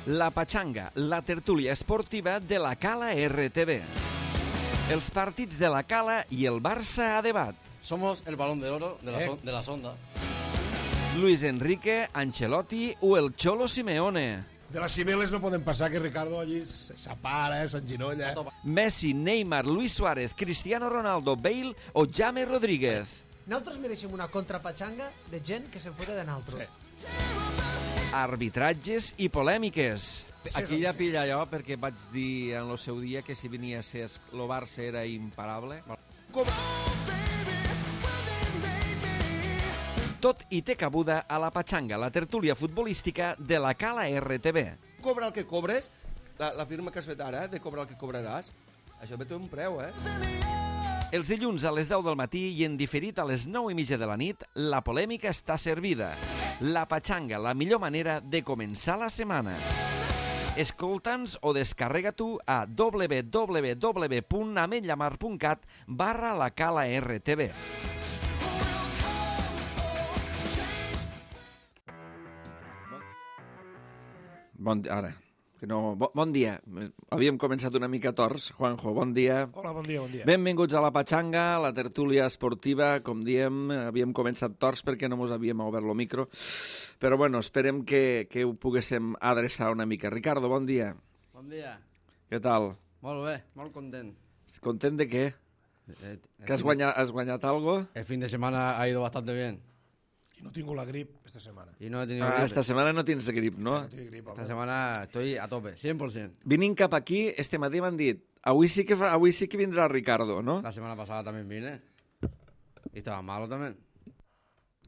La Pachanga, la tertúlia esportiva de la Cala RTV. Els partits de la Cala i el Barça a debat. Somos el balón de oro de las ondas. Luis Enrique, Ancelotti o el Cholo Simeone. De les cibeles no podem passar que Ricardo allí s'apara, s'enginolla. Messi, Neymar, Luis Suárez, Cristiano Ronaldo, Bale o James Rodríguez. Nosaltres mereixem una contrapatxanga de gent que se'n fora de nosaltres. Arbitratges i polèmiques. Aquí ja pilla allò perquè vaig dir en el seu dia que si venia a ser el Barça era imparable. Tot i té cabuda a la Pachanga, la tertúlia futbolística de la Cala RTV. Cobra el que cobres, la firma que has fet ara, de cobrar el que cobraràs, això té un preu, Els dilluns a les 10 del matí i en diferit a les 9:30 de la nit, la polèmica està servida. La Pachanga, la millor manera de començar la setmana. Escolta'ns o descarrega-t'ho a www.ametlllamar.cat/la Cala RTV. Bon dia. Havíem començat una mica tors. Juanjo, bon dia. Hola, bon dia, bon dia. Benvinguts a la Pachanga, la tertúlia esportiva. Com diem, havíem començat tors perquè no mos havíem obert el micro. Però bueno, esperem que ho poguéssim adreçar una mica. Ricardo, bon dia. Bon dia. Què tal? Molt bé, molt content. ¿Content de qué? ¿Que has guanyat algo? El fin de semana ha ido bastante bien. I no tinc la grip esta setmana. Y no he tenido gripe. Esta setmana no tens grip, no? No tinc grip, Esta semana estoy a tope, 100%. Vinint cap aquí, este matí m'han dit avui sí que vindrà Ricardo, ¿no? La semana pasada también vine. Y estaba malo también.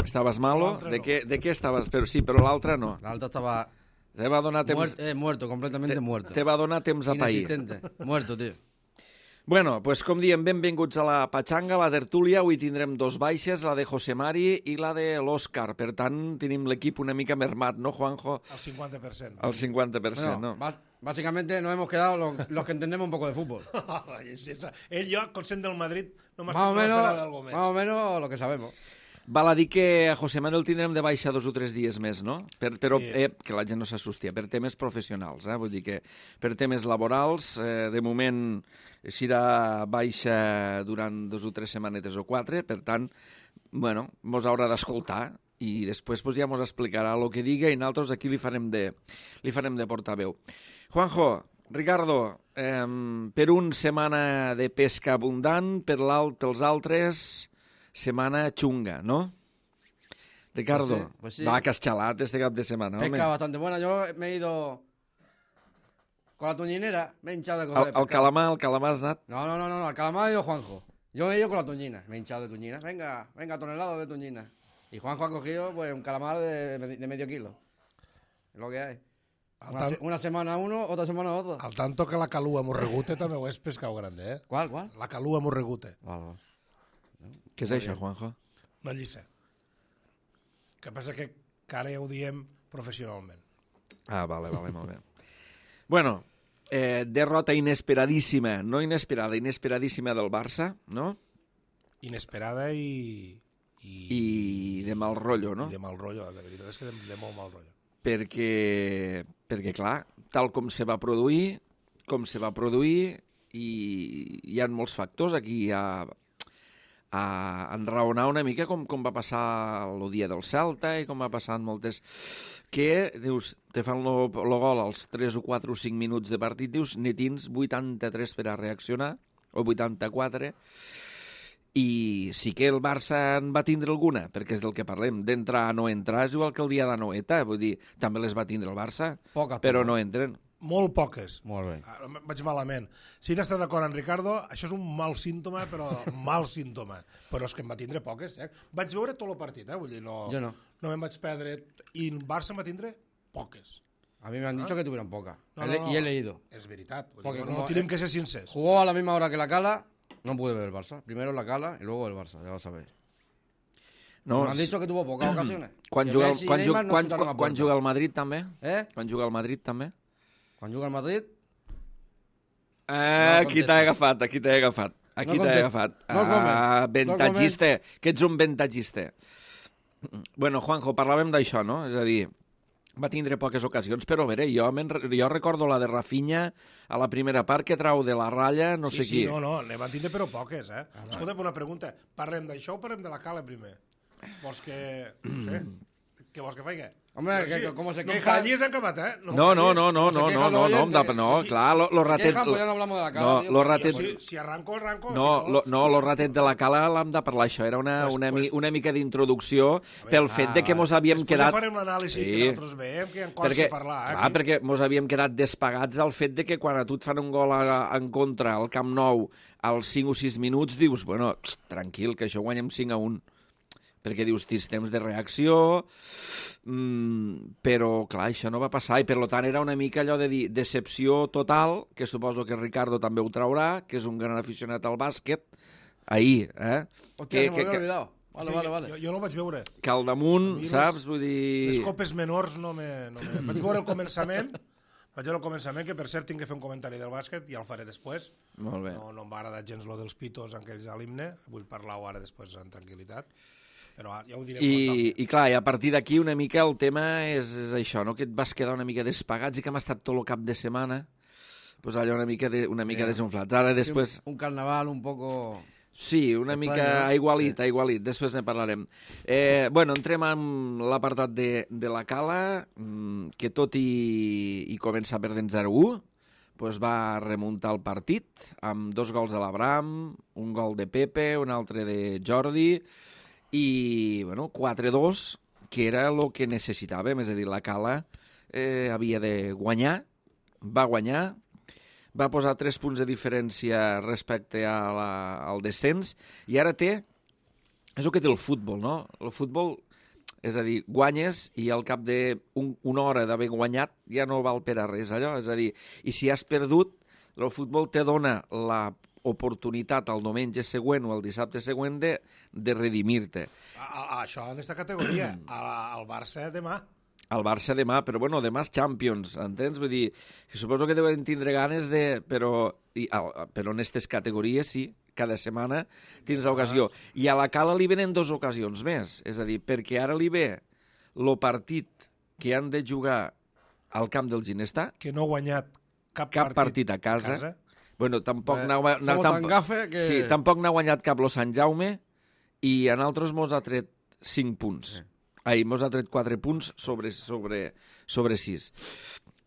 Estaves malo? L'altre De no. què estaves? Però sí, però l'altre no. La alta estaba Te va donar temps... muerto, completamente muerto. Te va donar temps a pair. Inexistente, muerto, tío. Bueno, pues com diem, benvinguts a la Pachanga, la tertúlia. Avui tindrem dos baixes, la de José Mari i la de l'Òscar. Per tant, tenim l'equip una mica mermat, ¿no, Juanjo? Al 50%. Al 50%, Bueno, no? básicamente nos hemos quedado los que entendemos un poco de fútbol. Jo, consent del Madrid, no Más m'estic esperant d'algo més. más o menos lo que sabemos. Val a dir que a José Manuel tindrem de baixa 2 o 3 dies més, no? Però Sí. que la gent no s'assusti, per temes professionals, vull dir que per temes laborals, de moment serà baixa durant 2 o 3 setmanetes o 4, per tant, bueno, mos haurà d'escoltar i després pues, ja mos explicarà el que diga i nosaltres aquí li farem de portaveu. Juanjo, Ricardo, per un setmana de pesca abundant, per els altres... Setmana xunga, ¿no? Ricardo, Pues sí. va, que has xalat este cap de setmana, home. Pesca bastante buena. Yo me he ido con la toñinera, me he hinchado de coger El calamar has anat... No, al calamar ha ido Juanjo. Yo me he ido con la toñina, me he hinchado de toñina. Venga, tonelada de toñina. Y Juanjo ha cogido pues un calamar de medio kilo. Es lo que hay. Una semana uno, otra semana otro. Al tanto que la calua morregute també ho és pescau grande, ¿Cuál? La calua morregute. Vale. Què és això, Juanjo? Una lliça. Que passa que ara ja ho diem professionalment. Ah, vale, molt bé. Bueno, derrota inesperadíssima, no inesperada, inesperadíssima del Barça, no? Inesperada i de mal rotllo, no? I de mal rotllo, la veritat és que de molt mal rotllo. Perquè, clar, tal com se va produir, i hi ha molts factors aquí a enraonar una mica com va passar el dia del Celta i com va passar en moltes... Que, dius, te fan el gol als 3 o 4 o 5 minuts de partit, dius, ne tens 83 per a reaccionar, o 84, i sí que el Barça en va tindre alguna, perquè és del que parlem, d'entrar a no entrar, és igual que el dia de Noeta, vull dir, també les va tindre el Barça, Poques, però poques. no entren. Molt poques. Molt bé. Vaig malament. Si n'estàs d'acord amb Ricardo, això és un mal símptoma, però mal símptoma. Però és que em va tindre poques. Vaig veure tot el partit, vull dir, no, Jo no. No me'n vaig perdre. I el Barça em va tindre poques. A mí me han dicho que tuvieron pocas. No, Y he leído. És veritat. Vull Porque dir, como no tenim que ser sincers. Jugó a la misma hora que la Cala, no pude ver el Barça. Primero la Cala y luego el Barça, ya lo sabéis. No, Me han dicho que tuvo pocas ocasiones. Quan Que juga, Messi y Neymar no chutaron a puerta. juga el Madrid també? ¿Eh? Quan juga el Madrid també? Quan juga el Madrid... Aquí t'he agafat. Aquí t'he agafat. Ventatgista. Que ets un ventatgista. Bueno, Juanjo, parlàvem d'això, no? És a dir, va tindre poques ocasions, però a veure, jo recordo la de Rafinha a la primera part que trau de la ratlla no sé qui. Sí, no, ne van tindre però poques, eh? Escolta, una pregunta. Parlem d'això o parlem de la Cala primer? Vols que... No sé. Què vols que faig? Hombre, que como se no queja... No callis en capat, eh? No, clar, lo ratet... Pues ya no hablamos de la Cala, tío, lo ratet... Si arranco. No, lo ratet de la Cala l'hem de parlar, això era una mica d'introducció pel fet de que mos havíem quedat... Després farem l'anàlisi que nosaltres veiem, que hi ha coses a parlar. Clar, perquè mos havíem quedat despagats al fet de que quan a tu et fan un gol en contra al Camp Nou als 5 o 6 minuts, dius, bueno, tranquil, que això guanyem 5-1. Perquè dius, tens temps de reacció, però, clar, això no va passar, i per tant era una mica allò de dir decepció total, que suposo que Ricardo també ho traurà, que és un gran aficionat al bàsquet, ahir, Hòstia, se m'havia oblidat. Vale. Jo no ho vaig veure. Que al damunt, saps? Vull dir... Les copes menors no me... Vaig veure el començament, que per cert tinc que fer un comentari del bàsquet, ja el faré després. Molt bé. No em va agradar gens lo dels pitos en aquells a l'himne, vull parlar-ho ara després en tranquil·litat. Però ja ho direm. I clar, i a partir d'aquí una mica el tema és això, no? Que et vas quedar una mica despagats i que hem estat tot el cap de setmana pues allò una mica desunflats. Ara després... Un carnaval un poco... Sí, una mica aigualit, després ne parlarem. Bueno, entrem en l'apartat de la Cala, que tot i començar perdent 0-1, pues va remuntar el partit amb 2 gols de l'Abraham, un gol de Pepe, un altre de Jordi, i bueno, 4-2, que era el que necessitàvem, és a dir, la Cala havia de guanyar, va guanyar, va posar 3 punts de diferència respecte al descens, i ara té, és el que té el futbol, no? El futbol, és a dir, guanyes i al cap d'una hora d'haver guanyat ja no val per a res allò, és a dir, i si has perdut, el futbol te dona la oportunitat el diumenge següent o el dissabte següent de redimir-te. Això en aquesta categoria, al Barça demà. Al Barça demà, però bueno, demà és Champions, entens? Vull dir, suposo que deuen tindre ganes de... Però en aquestes categories sí, cada setmana tens l'ocasió. I a la Cala li venen 2 ocasions més, és a dir, perquè ara li ve el partit que han de jugar al camp del Ginestà, que no ha guanyat cap partit a casa. Bueno, tampoc tampoc n'ha guanyat cap lo Sant Jaume, i a nosaltres mos ha tret 5 punts. Mos ha tret 4 punts sobre 6.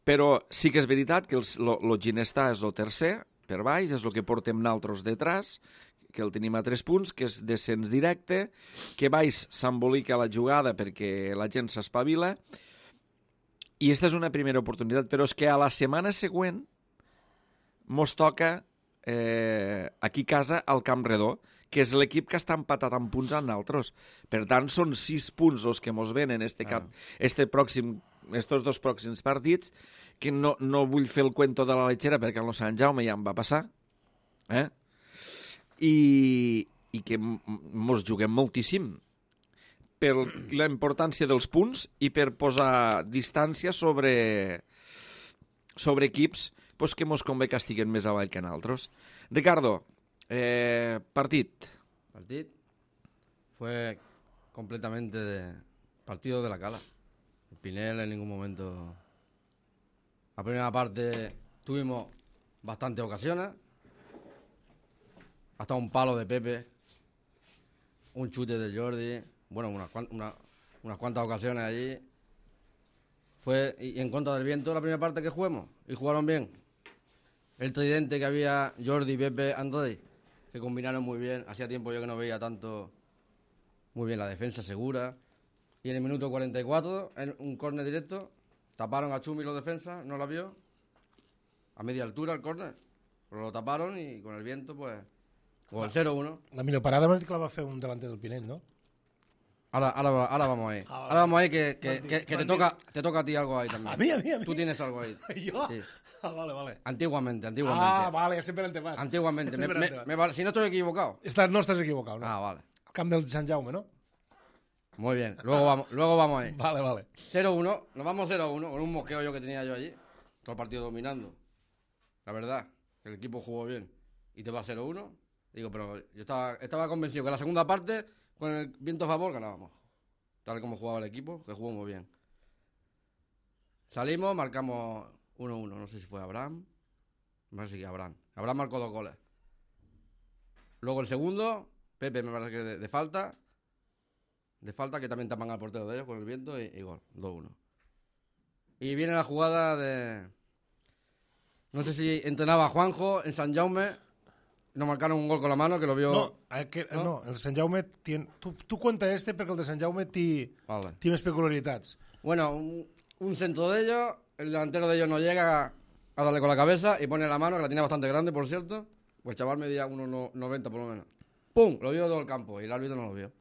Però sí que és veritat que el Ginestà és el tercer, per baix, és el que portem nosaltres detrás, que el tenim a 3 punts, que és descens directe, que baix s'embolica la jugada perquè la gent s'espavila, i aquesta és una primera oportunitat, però és que a la setmana següent mos toca aquí a casa al Camp Redó, que és l'equip que està empatat amb punts amb nosaltres. Per tant, són 6 punts els que mos venen estos 2 pròxims partits, que no vull fer el cuento de la lechera perquè en el Sant Jaume ja em va passar, i que mos juguem moltíssim per la importància dels punts i per posar distància sobre equips que mos convé que estiguen més avall que nosaltres. Ricardo, Partido fue completamente partido de la Cala. El Pinel en ningún momento. La primera parte tuvimos bastantes ocasiones, hasta un palo de Pepe, un chute de Jordi, bueno, unas cuantas ocasiones allí. Fue y en contra del viento la primera parte que jugamos, y jugaron bien. El tridente que había, Jordi, Pepe, Andrés, que combinaron muy bien. Hacía tiempo yo que no veía tanto. Muy bien la defensa, segura. Y en el minuto 44, en un córner directo, taparon a Chumi los defensas, no la vio. A media altura el córner. Pero lo taparon y con el viento, pues... Con el 0-1. La millor parada m'ha dit que la va fer un delanter del Pinell, no? Ahora vamos ahí. Ahora vamos ahí que te toca a ti algo ahí también. A mí. Tú tienes algo ahí. ¿Yo? Sí. Vale. Antiguamente. Vale, siempre te vas. Antiguamente. Si no estoy equivocado. No estás equivocado, ¿no? Vale. Camp del Sant Jaume, ¿no? Muy bien. Luego vamos ahí. Vale. 0-1. Nos vamos 0-1 con un mosqueo que tenía yo allí. Todo el partido dominando. La verdad, que el equipo jugó bien. Y te va 0-1. Digo, pero yo estaba convencido que la segunda parte, con el viento a favor, ganábamos. Tal como jugaba el equipo, que jugó muy bien. Salimos, marcamos 1-1. No sé si fue Abraham. Me parece que sí, Abraham. Abraham marcó 2 goles. Luego el segundo, Pepe me parece que de falta. De falta, que también tapan al portero de ellos con el viento y gol. 2-1. Y viene la jugada de... No sé si entrenaba Juanjo en Sant Jaume. Nos marcaron un gol con la mano, que lo vio... No, el Sant Jaume... Tu cuenta perquè el de Sant Jaume té més peculiaritats. Bueno, un centro de ellos, el delantero de ellos no llega a darle con la cabeza y pone la mano, que la tiene bastante grande, por cierto. Pues el chaval medía 1,90 por lo menos. ¡Pum! Lo vio todo el campo y el árbitro no lo vio.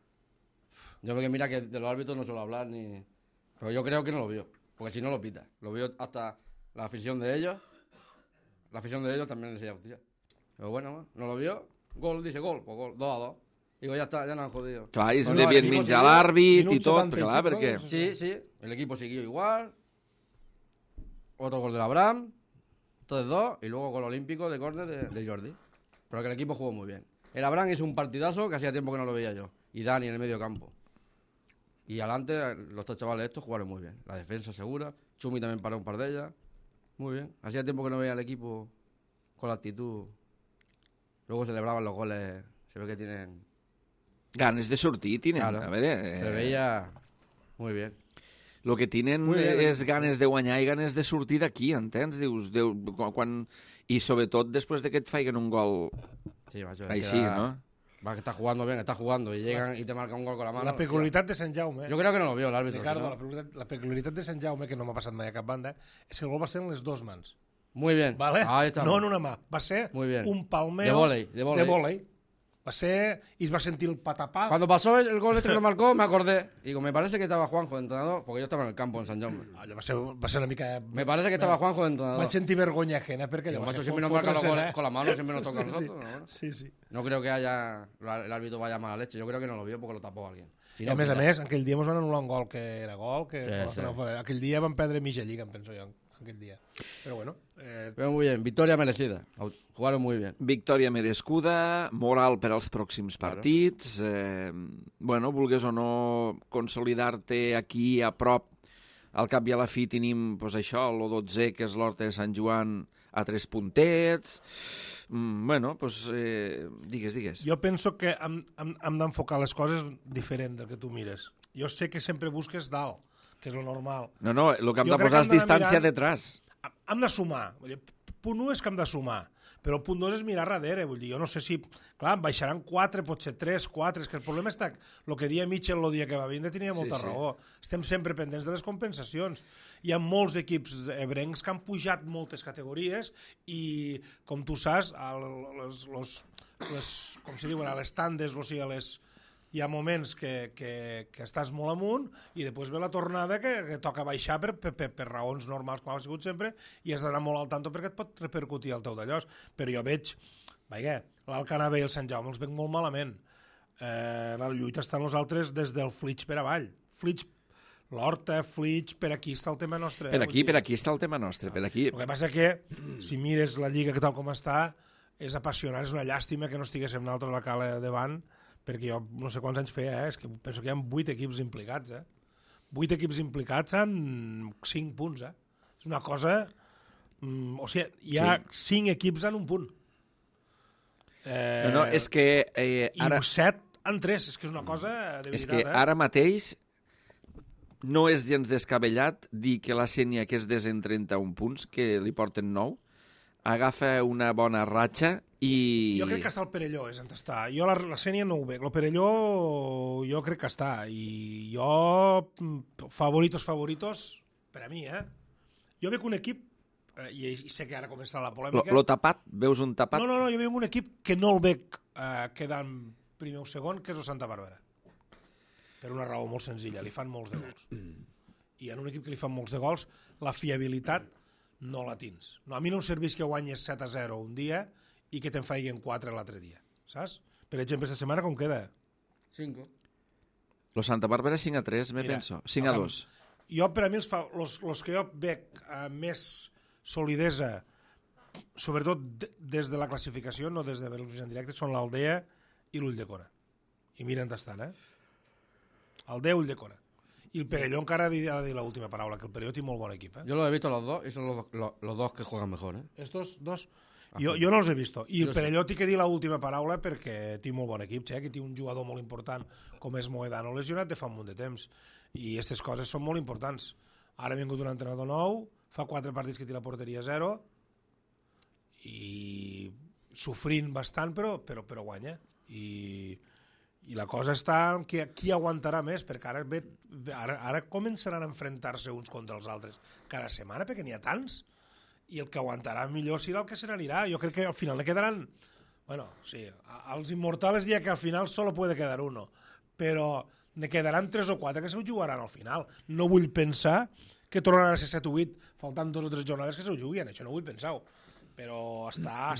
Yo veo que mira que de los árbitros no suelo hablar ni... Pero yo creo que no lo vio, porque si no lo pita. Lo vio hasta la afición de ellos. La afición de ellos también decía, hostia. Pero bueno, no lo vio. Gol, dice gol, pues gol, 2-2. Digo, ya está, ya nos han jodido. Clar, ells devien menjar l'àrbit i tot, perquè... Sí, el equipo siguió igual. Otro gol de Abraham. Entonces 2, y luego gol olímpico de córner de Jordi. Pero que el equipo jugó muy bien. El Abraham hizo un partidazo que hacía tiempo que no lo veía yo. Y Dani en el medio campo. Y adelante, los dos chavales estos jugaron muy bien. La defensa segura. Chumi también paró un par de ellas. Muy bien. Hacía tiempo que no veía al equipo con la actitud. Luego celebraban los goles. Se ve que tienen... Ganes de sortir, tienen. Claro. A veure... Se veía muy bien. Lo que tenen és ganes de guanyar i ganes de sortir d'aquí, entens? Dius, quan... I sobretot després de que et faiguen un gol sí, macho, així, ¿no? Va que está jugando bien, está jugando y llegan y te marcan un gol con la mano. La peculiaritat de Sant Jaume... Yo creo que no lo vio el árbitro. Ricardo, la peculiaritat de Sant Jaume, que no m'ha passat mai a cap banda, és que el gol va ser en les dues mans. Muy bien. ¿Vale? Ahí está. No en una mà. Va ser un palmeo de vóley. Va ser... I es va sentir el patapá. Cuando pasó el gol este que lo marcó, me acordé. Digo, me parece que estaba Juanjo de entrenador, porque yo estaba en el campo en Sant Jaume. Allò va ser una mica... Me parece que estaba Juanjo de entrenador. Vaig sentir vergonya ajena, perquè allò va ser... Siempre nos marca los goles con la mano, siempre nos toca a nosotros. Sí. No creo que el árbitro vaya a mala leche. Yo creo que no lo vio porque lo tapó alguien. Si no, a més, aquell dia ens van anul·lar un gol que era gol, que aquell dia van perdre mitja lliga, em penso jo, aquell dia. Però bueno... Pero muy bien, victoria merecida. Jugaron muy bien. Victòria merescuda, moral per als pròxims partits. Bueno, vulgues o no consolidar-te aquí a prop. Al cap i a la fi tenim pues, això, el 12è, que és l'Horta de Sant Joan, a 3 puntets. Bueno, pues, digues. Jo penso que hem d'enfocar les coses diferent del que tu mires. Jo sé que sempre busques dalt, que és lo normal. No, el que hem de posar és distància detrás. Hem de sumar. Punt 1 és que hem de sumar, però el punt 2 és mirar darrere. Vull dir, jo no sé si... Clar, baixaran 4, potser 3, 4... És que el problema està... El que dia Mitchell el dia que va vindre tenia molta raó. Estem sempre pendents de les compensacions. Hi ha molts equips ebrencs que han pujat moltes categories i, com tu saps, com se diuen, a les tandes, o sigui, hi ha moments que estàs molt amunt i després ve la tornada que toca baixar per raons normals, com ha sigut sempre, i has d'anar molt al tanto perquè et pot repercutir el teu d'allòs. Però jo veig, l'Alt Canavell i el Sant Jaume els veig molt malament. La lluita està en nosaltres des del Flix per avall. L'Horta, Flix, per aquí està el tema nostre. Per aquí està el tema nostre. El que passa que, si mires la lliga que tal com està, és apassionant, és una llàstima que no estiguéssim nosaltres a la cala davant, perquè jo no sé quants anys feia, és que penso que hi ha 8 equips implicats, 8 equips implicats en 5 punts, És una cosa... O sigui, hi ha 5 equips en un punt. No, és que... I 7 en 3, és que és una cosa de veritat. És que ara mateix no és gens descabellat dir que la Sénia, que és en 31 punts, que li porten 9, agafa una bona ratxa i... Jo crec que està el Perelló, és on està. Jo la Sénia no ho veig. El Perelló jo crec que està. I jo, favoritos, per a mi, Jo veig un equip, i sé que ara començarà la polèmica... Lo tapat? Veus un tapat? No, jo veig un equip que no el veig quedant primer o segon, que és el Santa Bàrbara. Per una raó molt senzilla, li fan molts de gols. I en un equip que li fan molts de gols, la fiabilitat no la tens. No, a mi no em serveix que guanyes 7-0 un dia i que te'n faiguen 4 l'altre dia, saps? Per exemple, aquesta setmana com queda? 5. Lo Santa Bàrbara 5-3, penso. 5-2. Jo, per a mi, els que jo veig més solidesa, sobretot des de la classificació, no des de veure-los en directe, són l'Aldea i l'Ulldecona. I mira on estan, Aldea i Ulldecona. I el Perelló encara ha de dir l'última paraula, que el Perelló té molt bon equip. Yo los he visto los dos y son los dos que juegan mejor. Estos dos... Jo no els he vist. I el Perelló té que dir l'última paraula perquè té molt bon equip, que té un jugador molt important com és Moedano lesionat de fa un munt de temps. I aquestes coses són molt importants. Ara ha vingut un entrenador nou, fa 4 partits que té la porteria 0 i sofrint bastant, però guanya. I la cosa està en qui aguantarà més, perquè ara començaran a enfrontar-se uns contra els altres cada setmana, perquè n'hi ha tants, i el que aguantarà millor serà el que se n'anirà. Jo crec que al final ne quedaran... Bueno, sí, als Inmortales dia que al final solo puede quedar uno, però ne quedaran 3 o 4 que se ho jugaran al final. No vull pensar que tornaran a ser 7 o 8, faltant 2 o 3 jornades que se ho juguin, això no vull pensar-ho. Però està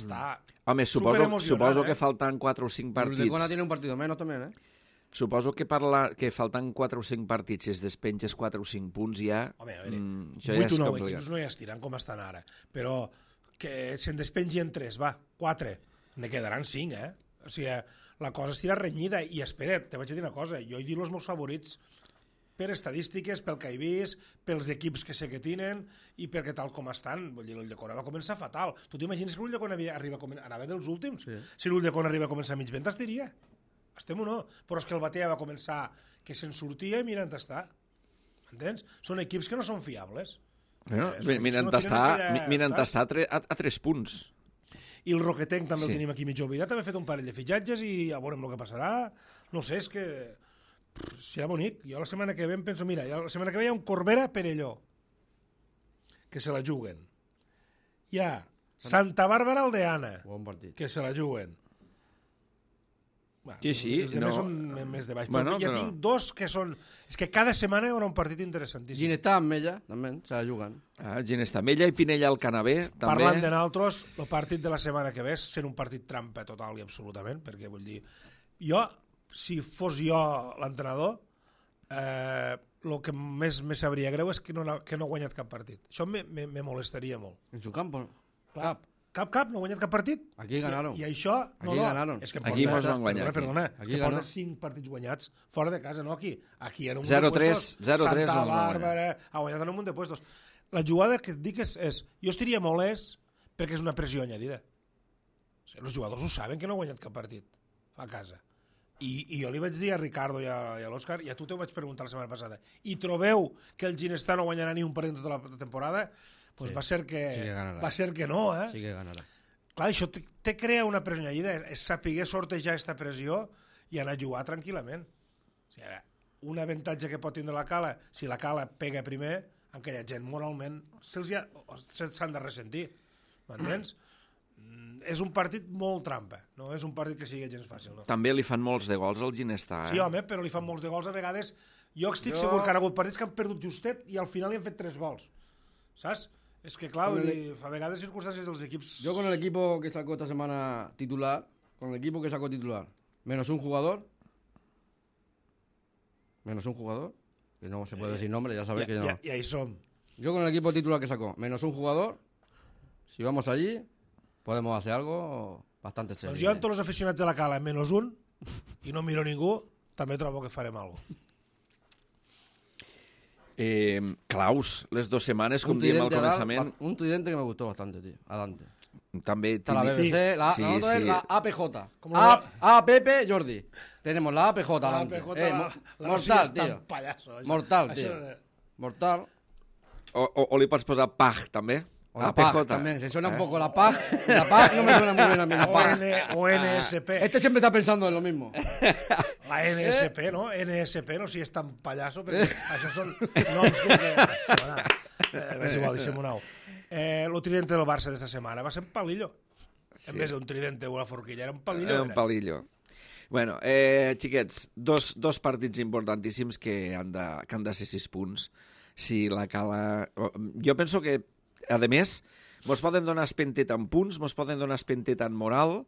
Home, suposo que faltan 4 o 5 partits. El Uldecona tiene un partido menos también, Suposo que que faltan 4 o 5 partits, si es despenges 4 o 5 punts ja... Home, a veure, això ja 8 o 9 complicat. equips no hi estiran com estan ara, però que se'n despengien 3, 4, ne quedaran 5, O sigui, la cosa estirà renyida, i espera't, te vaig a dir una cosa, jo he dit els meus favorits per estadístiques, pel que he vist, pels equips que sé que tenen i perquè tal com estan. Vull dir, l'Ulldecona va començar fatal. Tu t'imagines que l'Ulldecona anava dels últims? Sí. Si l'Ulldecona arriba a començar mig vent, estaria. Estem o no? Però és que el Batea va començar que se'n sortia i mira on està. M'entens? Són equips que no són fiables. Mira on està a 3 punts. I el Roquetenc també el tenim aquí mig oblidat, també ha fet un parell de fitxatges i ja veurem el que passarà. No sé, és que serà bonic. Jo la setmana que ve em penso, mira, la setmana que ve hi ha un Corbera Perelló, que se la juguen. Hi ha Santa Bàrbara Aldeana, que se la juguen. Sí, els demés són més de baix. Bueno, ja tinc 2 que són... És que cada setmana hi haurà un partit interessantíssim. Ginestà amb Mella, també, se la juguen. Ginestà, Mella i Pinella al Canavè, també. Parlant de nosaltres, el partit de la setmana que ve sent un partit trampa total i absolutament, perquè vull dir... Jo, si fos jo l'entrenador, el que més me sabria greu és que no ha guanyat cap partit. Això me molestaria molt. En su campo, Cap, no ha guanyat cap partit. Aquí ganaron. I això... Aquí ganaron. És que aquí mos van guanyar. Perdona, que porta 5 partits guanyats fora de casa, no aquí. Aquí en un munt 0-3, de puestos. 0-3 Santa Bàrbara, ha guanyat en un munt de puestos. La jugada que et dic és jo estaria molest perquè és una pressió añadida. O sigui, els jugadors ho saben que no ha guanyat cap partit a casa. I jo li vaig dir a Ricardo i a l'Òscar, i a tu t'ho vaig preguntar la setmana passada, i trobeu que el Ginestà no guanyarà ni un partit tota la temporada? Pues sí, va ser que no, Sí que ganarà. Clar, això te crea una pressió añadida, és saber sortejar aquesta pressió i anar a jugar tranquil·lament. O sigui, un avantatge que pot tindre la Cala, si la Cala pega primer, aquella gent moralment s'han de ressentir, m'entens? És un partit molt trampa, no és un partit que sigui gens fàcil. No? També li fan molts de gols al Ginestà. Sí, home, però li fan molts de gols a vegades. Jo estic segur que han hagut partits que han perdut justet i al final li han fet 3 gols, saps? Es que, claro, a vegades circunstancias de los equipos... Yo con el equipo que sacó esta semana titular, menos un jugador, que no se puede decir nombre, ya sabéis que no. Y ahí son. Yo con el equipo titular que sacó, menos un jugador, si vamos allí, podemos hacer algo bastante serio. Doncs jo amb tots els aficionats de la Cala, menos un, i no miro ningú, també trobo que farem alguna cosa. Claus, les 2 setmanes, com diem al començament... Un tridente que me gustó bastante, tío. Adelante. També... Está la BBC, la APJ. Pepe Jordi. Tenemos la APJ adelante. Mortal, tío. Mortal, tío. Mortal. O li pots posar PAG, també? O la PAG también, se suena un poco la PAG. La PAG no me suena muy bien a mí, la PAG. O NSP. Este siempre está pensando en lo mismo. La NSP, no? NSP, no si és tan pallasso, perquè això són noms que... És igual, deixem-ho nou. El tridente del Barça d'esta setmana va ser un palillo. En vez d'un tridente o una forquilla, era un palillo. Un palillo. Bueno, xiquets, dos partits importantíssims que han de ser 6 punts. Si la Cala... Jo penso que, a més, mos poden donar espentet en punts, mos poden donar espentet en moral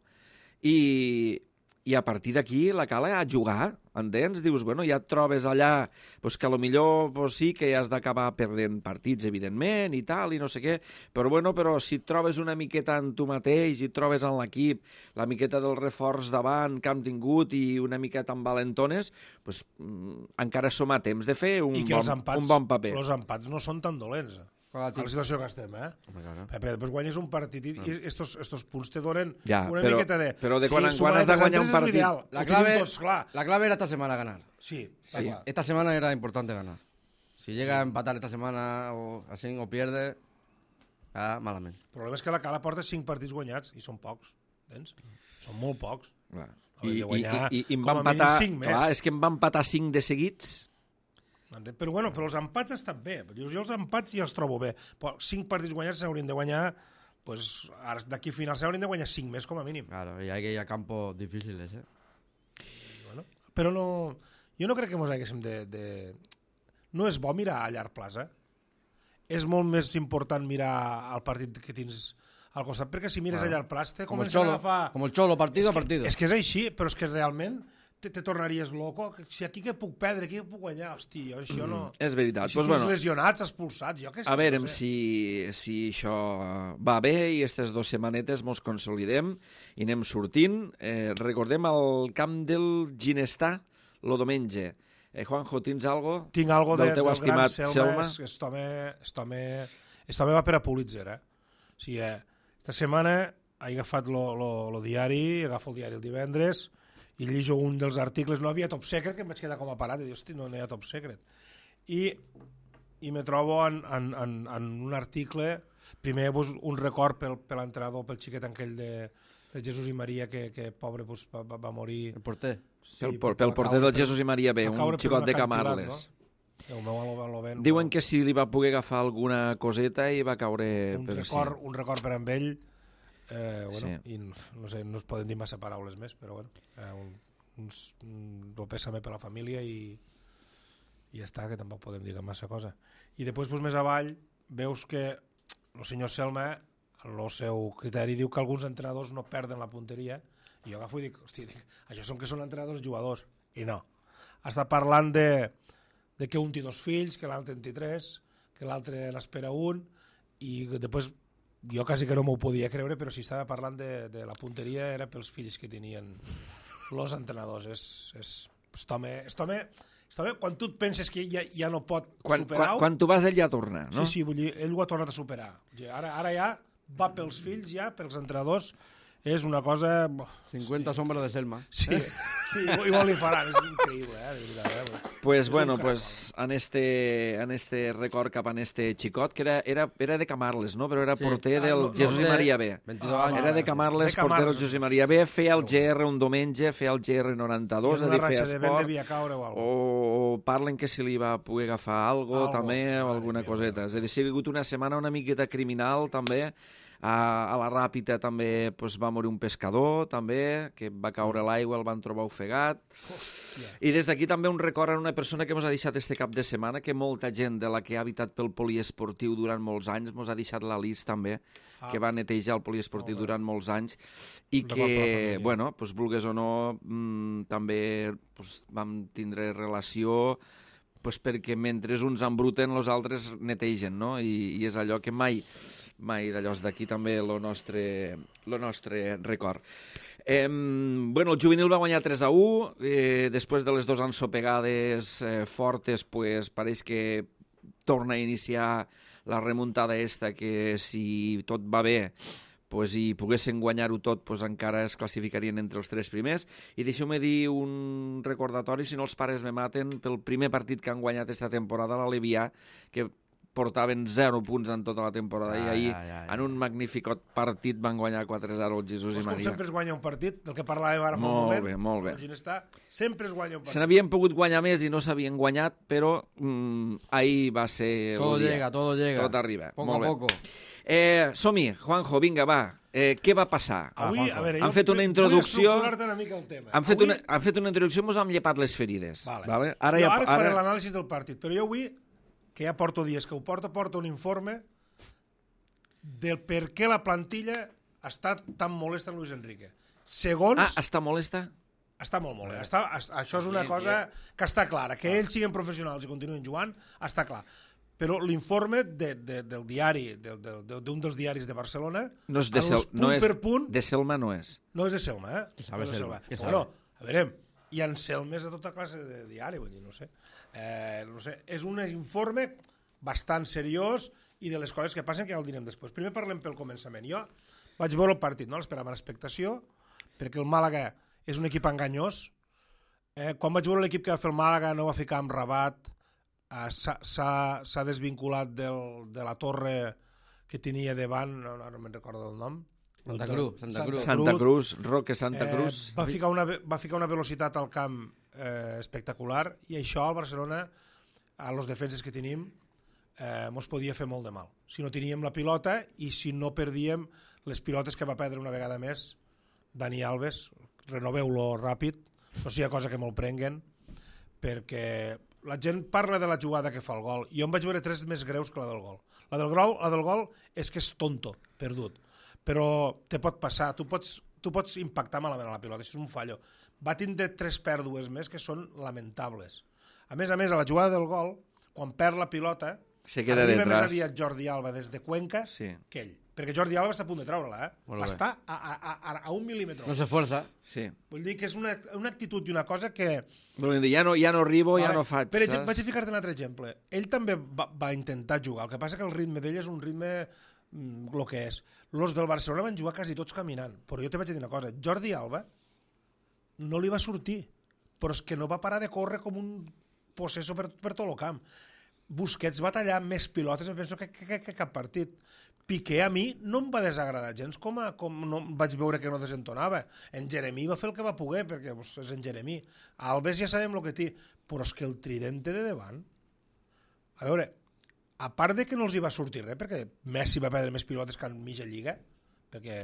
i i a partir d'aquí la cala a jugar, entens? Dius, bueno, ja et trobes allà pues, que potser pues, sí que has d'acabar perdent partits, evidentment, i tal, i no sé què, però si et trobes una miqueta en tu mateix i et trobes en l'equip, la miqueta del reforç davant que hem tingut i una miqueta amb valentones, pues, encara som a temps de fer un bon paper. Els empats no són tan dolents. A la situació que estem, Perquè després guanyes un partit i estos punts te donen una miqueta de... Però de quan en quan has de guanyar un partit... La clave era esta semana ganar. Sí. Esta semana era importante ganar. Si llega a empatar esta semana o así o pierde, malament. El problema és que la Cala porta 5 partits guanyats i són pocs, entens? Són molt pocs. I em va empatar... Clar, és que em va empatar 5 de seguits... Però els empats estan bé. Jo els empats ja els trobo bé. Però 5 partits guanyats s'haurien de guanyar... Pues, d'aquí a final s'haurien de guanyar 5 més, com a mínim. Claro, y hay que ir a campos difíciles, Però no... Jo no crec que mos haguéssim de... No és bo mirar a llarg plaç, És molt més important mirar el partit que tens al costat, perquè si mires a llarg plaç te comença a agafar... Com el Cholo, partido a partido. És que és així, però és que realment... te tornaries loco, si aquí que puc perdre, aquí que puc guanyar, hosti, això no... És veritat. Si tens lesionats, expulsats, jo què sé. A veure si això va bé i aquestes 2 setmanetes mos consolidem i anem sortint. Recordem el camp del Ginestà el diumenge. Juanjo, tens algo? Tinc algo del teu del estimat gran Selma. Este home va per a Pulitzer, O sigui, esta setmana he agafat lo diari, agafo el diari el divendres, i llijo un dels articles, no havia top secret, que em vaig quedar com a parat, i dic, hosti, no hi ha top secret. I me trobo en un article, primer un record per l'entrenador, pel xiquet aquell de Jesús i Maria, que pobre va morir. El porter. Pel porter del Jesús i Maria B, un xicot de Camarles. Diuen que si li va poder agafar alguna coseta i va caure... Un record per amb ell, i no sé, no es poden dir massa paraules més, però un pèsame per la família i ja està, que tampoc podem dir massa cosa. I després, més avall, veus que el senyor Selma, el seu criteri, diu que alguns entrenadors no perden la punteria, i jo agafo i dic, hosti, això són que són entrenadors jugadors, i no. Està parlant de que un té 2 fills, que l'altre en té 3, que l'altre n'espera un, i després jo quasi que no m'ho podia creure, però si estava parlant de la punteria era pels fills que tenien els entrenadors. Aquest home, quan tu et penses que ja no pot superar-ho... Quan tu vas, ell ja torna, no? Sí, vull dir, ell ho ha tornat a superar. Ara ja va pels fills, ja pels entrenadors, és una cosa... 50 sombras de Selma. Sí, igual li faran, és increïble, de veritat. Pues bueno, en este record cap en este xicot, que era de Camarles, no? Però era porter del Jesús i Maria B. 22 anys. Era de Camarles, porter del Jesús i Maria B, feia el GR un diumenge, feia el GR 92, és a dir, feia esport, o parlen que si li va poder agafar algo també, o alguna coseta. És a dir, si ha vingut una setmana una miqueta criminal, també. A la Ràpita també va morir un pescador, també, que va caure a l'aigua, el van trobar ofegat. I des d'aquí també un record a una persona que ens ha deixat este cap de setmana, que molta gent de la que ha habitat pel poliesportiu durant molts anys ens ha deixat la Lis també, que va netejar el poliesportiu durant molts anys, i que, bueno, vulgues o no, també vam tindre relació perquè mentre uns embruten, els altres netegen, no? I és allò que mai d'allò d'aquí també el nostre record. Bueno, el juvenil va guanyar 3-1, després de les 2 ensopegades fortes, pareix que torna a iniciar la remuntada esta, que si tot va bé i poguessin guanyar-ho tot, encara es classificarien entre els 3 primers. I deixeu-me dir un recordatori, si no els pares me maten, pel primer partit que han guanyat aquesta temporada, l'Alevià, que portaven 0 punts en tota la temporada i ahir, en un magnífic partit, van guanyar 4-0 el Jesús i Maria. Com sempre es guanya un partit, del que parlàvem ara fa un moment. Molt bé. Sempre es guanya un partit. Se n'havien pogut guanyar més i no s'havien guanyat, però ahir va ser... Todo llega. Tot arriba. Poco a poco. Som-hi, Juanjo, vinga, va. Què va passar? Avui, a veure, han fet una introducció... Vull estructurar-te una mica el tema. Han fet una introducció, ens hem llepat les ferides. Vale. Ara et faré l'anàlisi del partit, però jo avui, que ja porto dies que ho porto un informe del per què la plantilla està tan molesta en Luis Enrique. Segons... està molesta? Està molt bé. Això és una cosa que està clara. Que ells siguin professionals i continuïn jugant, està clar. Però l'informe del diari, d'un dels diaris de Barcelona, no és de Selma, no és. No és de Selma, eh? No és de Selma. Bueno, a veure, hi ha Selmes de tota classe de diari, vull dir, no sé. És un informe bastant seriós i de les coses que passen que ja el direm després. Primer parlem pel començament. Jo vaig veure el partit, no l'esperava amb expectació, perquè el Màlaga és un equip enganyós. Quan vaig veure l'equip que va fer el Màlaga no va ficar amb Rabat, s'ha desvinculat de la torre que tenia davant, no me'n recordo del nom. Santa Cruz, Roque Santa Cruz. Va ficar una velocitat al camp espectacular i això al Barcelona, a los defenses que tenim, mos podia fer molt de mal. Si no teníem la pilota i si no perdíem les pilotes que va perdre una vegada més Dani Alves, renoveu-lo ràpid, no sigui cosa que me'l prenguen, perquè la gent parla de la jugada que fa el gol. Jo em vaig veure 3 més greus que la del gol. La del gol és que és tonto, perdut. Però te pot passar, tu pots impactar malament a la pilota, això és un fallo. Va tindre 3 pèrdues més que són lamentables. A més, a la jugada del gol, quan perd la pilota, arriba més aviat Jordi Alba des de Cuenca que ell. Perquè Jordi Alba està a punt de treure-la, Va estar a 1 mil·límetre. No s'esforça. Sí. Vull dir que és una actitud i una cosa que... Ja no arribo, ja no faig. Per exemple, vaig a ficar-te un altre exemple. Ell també va intentar jugar, el que passa que el ritme d'ell és un ritme el que és. Los del Barcelona van jugar quasi tots caminant, però jo te vaig dir una cosa, Jordi Alba no li va sortir, però és que no va parar de córrer com un possesso per tot el camp. Busquets va tallar més pilotes, em penso que cap partit. Piqué a mi no em va desagradar gens com no vaig veure que no desentonava. En Jeremí va fer el que va poder, perquè és en Jeremí. Alves ja sabem el que té, però és que el tridente de davant... A veure, a part de que no els hi va sortir res, perquè Messi va perdre més pilotes que en mitja lliga, perquè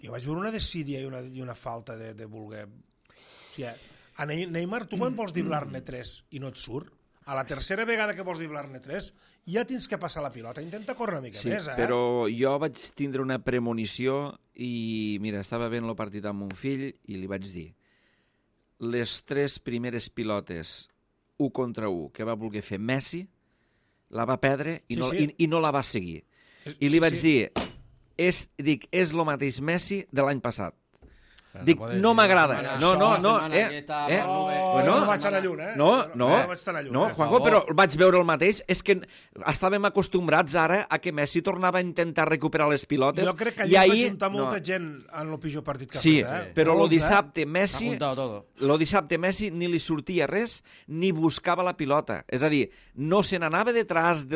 jo vaig veure una desídia i una falta de voler... O sigui, a Neymar, tu quan vols driblar-ne 3 i no et surt, a la tercera vegada que vols driblar-ne 3, ja tens que passar la pilota. Intenta córrer una mica més, però jo vaig tindre una premonició i, mira, estava veient el partit amb mon fill i li vaig dir les 3 primeres pilotes 1 contra 1 que va voler fer Messi la va perdre i no la va seguir. I li vaig dir, és el mateix Messi de l'any passat. Dic, no m'agrada. No vaig anar lluny, No, Juanjo, però vaig veure el mateix. És que estàvem acostumbrats ara a que Messi tornava a intentar recuperar les pilotes. Jo crec que allà es va juntar molta gent en el pitjor partit que ha fet. Sí, però el dissabte Messi ni li sortia res ni buscava la pilota. És a dir, no se n'anava detrás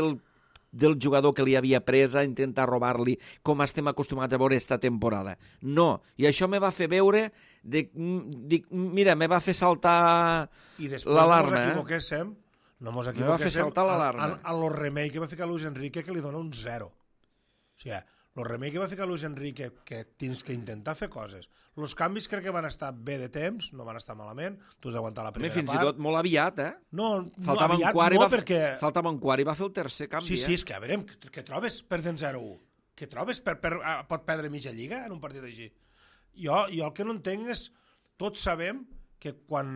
del jugador que li havia pres a intentar robar-li, com estem acostumats a veure esta temporada. No, i això me va fer veure, mira, me va fer saltar l'alarma. I després no mos equivoquéssim, me va fer saltar l'alarma. A lo remei que va ficar Luis Enrique, que li dona un 0. O sigui, el remei que va ficar Luis Enrique, que tens que intentar fer coses. Els canvis crec que van estar bé de temps, no van estar malament, tu has d'aguantar la primera part. Fins i tot molt aviat, No aviat no, perquè... Faltava un quart i va fer el tercer canvi. Sí, és que a veure, què trobes perdent 0-1? Què trobes? Pot perdre mitja lliga en un partit així? Jo el que no entenc és, tots sabem que quan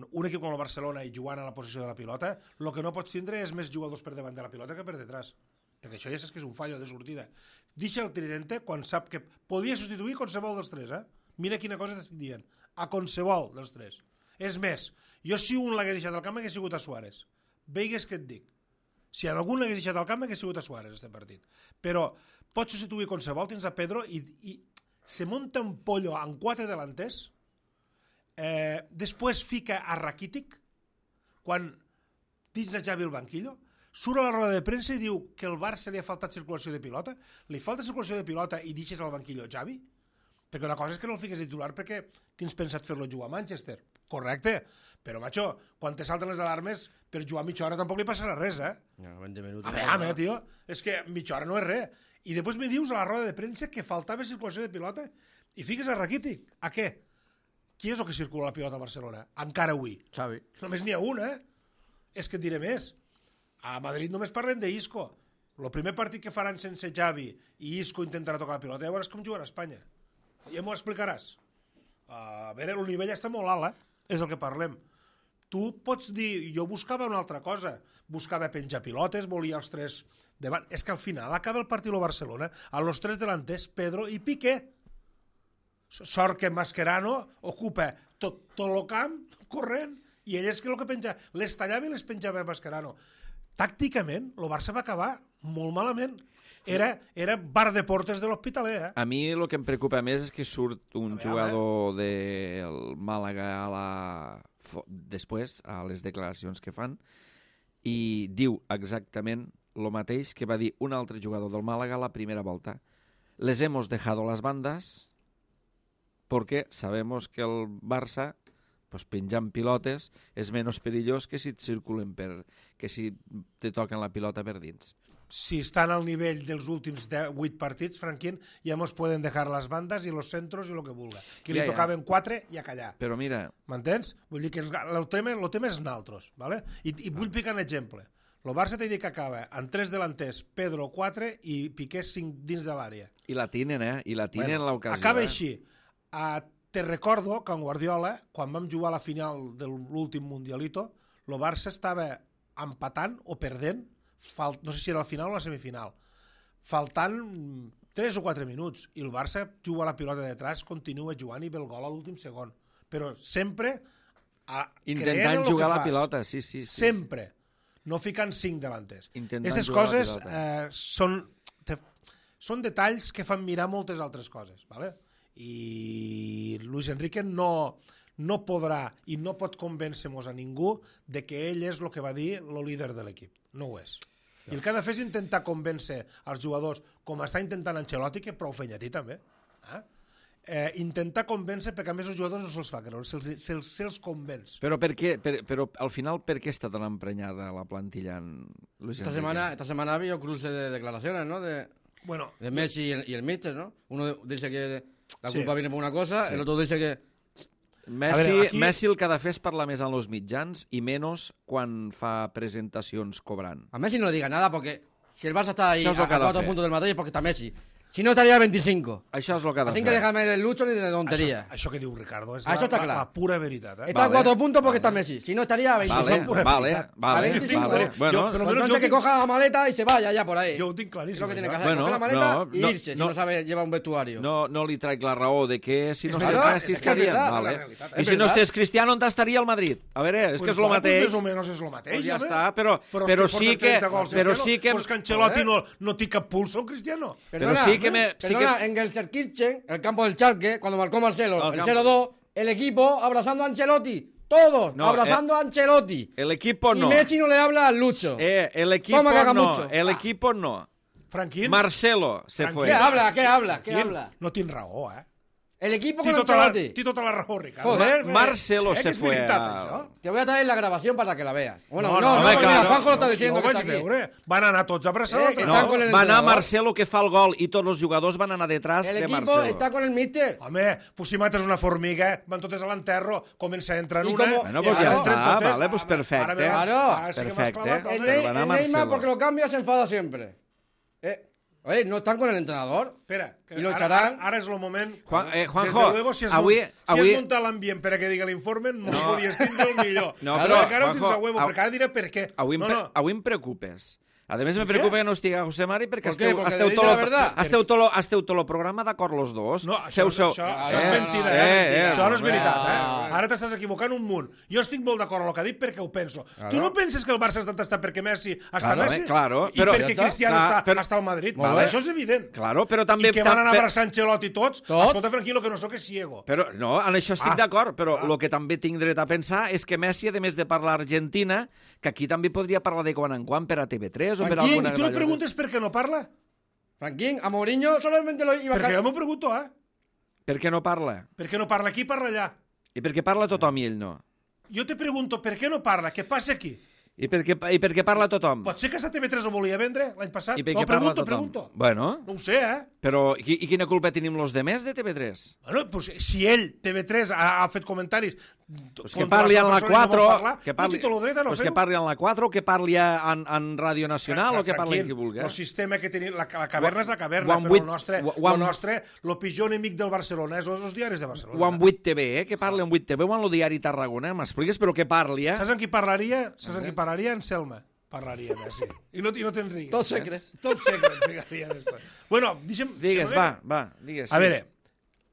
un equip com el Barcelona i jugant a la posició de la pilota, el que no pots tindre és més jugadors per davant de la pilota que per detrás. Perquè això ja saps que és un fallo de sortida. Deixa el tridente quan sap que podia substituir qualsevol dels 3, Mira quina cosa t'estic dient. A qualsevol dels 3. És més, jo si un l'hagués deixat al camp hagués sigut a Suárez. Veigues què et dic. Si algun l'hagués deixat al camp hagués sigut a Suárez, este partit. Però pots substituir qualsevol, tens a Pedro i se munta un pollo amb 4 delanters, després fica a Rakitic, quan tens a Xavi al banquillo, surt a la roda de premsa i diu que el Barça li ha faltat circulació de pilota, li falta circulació de pilota i deixes al banquillo Xavi? Perquè una cosa és que no el fiques de titular perquè tens pensat fer-lo jugar a Manchester. Correcte, però, macho, quan te salten les alarmes, per jugar mitja hora tampoc li passarà res, No, 20 minuts. A veure, tio, és que mitja hora no és res. I després me dius a la roda de premsa que faltava circulació de pilota i fiques a Rakitic. A què? Qui és el que circula la pilota a Barcelona? Encara avui. Xavi. Només n'hi ha un, És que et diré més. A Madrid només parlem d'Isco. El primer partit que faran sense Xavi i Isco intentarà tocar la pilota, ja veuràs com jugarà a Espanya. Ja m'ho explicaràs. A veure, el nivell està molt alt, és el que parlem. Tu pots dir, jo buscava una altra cosa, buscava penjar pilotes, volia els 3 davant. És que al final acaba el partit del Barcelona a los 3 delanters, Pedro i Piqué. Sort que Mascherano ocupa tot el camp corrent i ell és que el que penja, les tallava i les penjava Mascherano. Tàcticament, el Barça va acabar molt malament. Era bar de portes de l'Hospitalet. A mi el que em preocupa més és que surt un jugador del Màlaga després, a les declaracions que fan, i diu exactament el mateix que va dir un altre jugador del Màlaga la primera volta. Les hemos dejado las bandas porque sabemos que el Barça, pues, penjant pilotes és menys perillós que si et circulen que si te toquen la pilota per dins. Si estan al nivell dels últims 8 partits, Franquín, ja mos pueden dejar las bandas y los centros y lo que vulga. Que li tocaven 4 i a callar. Però mira... M'entens? Vull dir que el tema és naltros, ¿vale? I vull picar un exemple. El Barça t'he dit que acaba amb 3 delanters, Pedro 4 i Piqué 5 dins de l'àrea. I la tinen, I la tinen l'ocasió. Acaba així. Te recordo que en Guardiola, quan vam jugar a la final de l'últim Mundialito, el Barça estava empatant o perdent, no sé si era la final o la semifinal, faltant 3 o 4 minuts, i el Barça juga la pilota detrás, continua jugant i ve el gol a l'últim segon. Però sempre intentant jugar la pilota, sí. Sempre. No ficant 5 delanters. Aquestes coses són detalls que fan mirar moltes altres coses, ¿vale? I Luis Enrique no podrà i no pot convèncer-nos a ningú de que ell és el que va dir el líder de l'equip. No ho és. I el que ha de fer és intentar convèncer els jugadors, com està intentant Ancelotti, que prou feina a ti també, intentar convèncer, perquè a més els jugadors no se'ls fa creure, se'ls convenç. Però al final, per què està tan emprenyada la plantilla en Luis Enrique? Esta semana ha habido cruce de declaraciones, ¿no? De Messi y el míster, ¿no? Uno dice que la culpa viene por una cosa, el otro dice que... Messi el que ha de fer és parlar més en els mitjans i menys quan fa presentacions cobrant. A Messi no le diga nada porque si el Barça está ahí a 4 puntos del Madrid es porque está Messi. Si no, estaría a 25. Això és el que ha de fer. Así que déjame de lucho ni de tontería. Això que diu Ricardo és la pura veritat. Está a 4 puntos porque está Messi. Si no, estaría a 25. Vale. 25. Bueno, entonces que coja la maleta y se vaya ya por ahí. Jo ho tinc claríssim. Es lo que tiene que hacer, coger la maleta y irse, si no sabe llevar un vestuario. No li traic la raó de que si no estàs Messi estaria... I si no estàs Cristiano, on estaria el Madrid? A veure, és que és el mateix. Més o menys és el mateix. Ja està, però sí que... Però és que Ancelotti no té cap pulso en Cristiano. Perdona, en Gelsenkirchen, el campo del Schalke, cuando marcó Marcelo, el 0-2, el equipo abrazando a Ancelotti. Todos abrazando a Ancelotti. El equipo no. Y Messi no le habla al Lucho. El equipo no. El equipo no. Franquín. Marcelo se fue. ¿Qué habla? No tinc raó, El equipo con Ancelotti. Té tota la raó, Ricardo. Joder, Marcelo se fue. Te voy a traer la grabación para que la veas. Bueno, no, Juanjo lo está diciendo que está aquí. Van anar tots a abraçar va anar Marcelo que fa el gol i tots els jugadors van anar detrás de Marcelo. El equipo está con el míster. Home, pues si mates una formiga, van totes a l'enterro, comença a entrar una... Bueno, pues ja està, vale, pues perfecte. Perfecte. El Neymar, porque lo cambia, se enfada siempre. Oye, no están con el entrenador. Espera, y lo echarán. Ara és el moment. Juanjo, desde luego, si has muntat l'ambient per a que digui l'informe, no podies tindre el millor. No, però, ara ho tens a huevo, perquè ara diré per què. Avui em preocupes. A més, me preocupa que no estigui José Mari perquè esteu tot el programa d'acord los dos. No, això és mentida, Això no és veritat, Ara t'estàs equivocant un munt. Jo estic molt d'acord amb el que ha dit perquè ho penso. Tu no penses que el Barça està perquè Messi està Messi? I perquè Cristiano està al Madrid? Això és evident. I que van anar a abraçar Ancelotti tots. Escolta, Franquí, lo que no soc és ciego. No, en això estic d'acord, però el que també tinc dret a pensar és que Messi, a més de parlar Argentina, que aquí també podria parlar de quan en quan per a TV3 o per alguna... ¿Y tú le preguntes por qué no parla? Franquín, a Mourinho solamente lo iba a... Perquè jo m'ho pregunto, Per què no parla? Per què no parla aquí, parla allà. I per què parla tothom i ell no? Jo te pregunto, per què no parla? Què passa aquí? I per què parla tothom? Pot ser que esta TV3 ho volia vendre l'any passat? I per No, què parla tothom? pregunto. Bueno, No ho sé, però i quina culpa tenim los demés de TV3? Bueno, pues, si ell, TV3, ha fet comentaris Pues que parli en la 4, que parli, pues que parli en la 4 o que parli en Ràdio Nacional o que parli en qui vulgui. El sistema que tenim, la caverna és la caverna, One però Vuit- el nostre, el pitjor enemic del Barcelona és els diaris de Barcelona. O en 8TV, que parli en 8TV o en el diari Tarragona, m'expliques, però que parli, Saps en qui parlaria? Saps en qui parlaria? En Selma. Parlaria, sí. I no te'n riguis. Tot secret. Tot secret, ficaria després. Bueno, deixa'm... Digues, va, digues. A veure,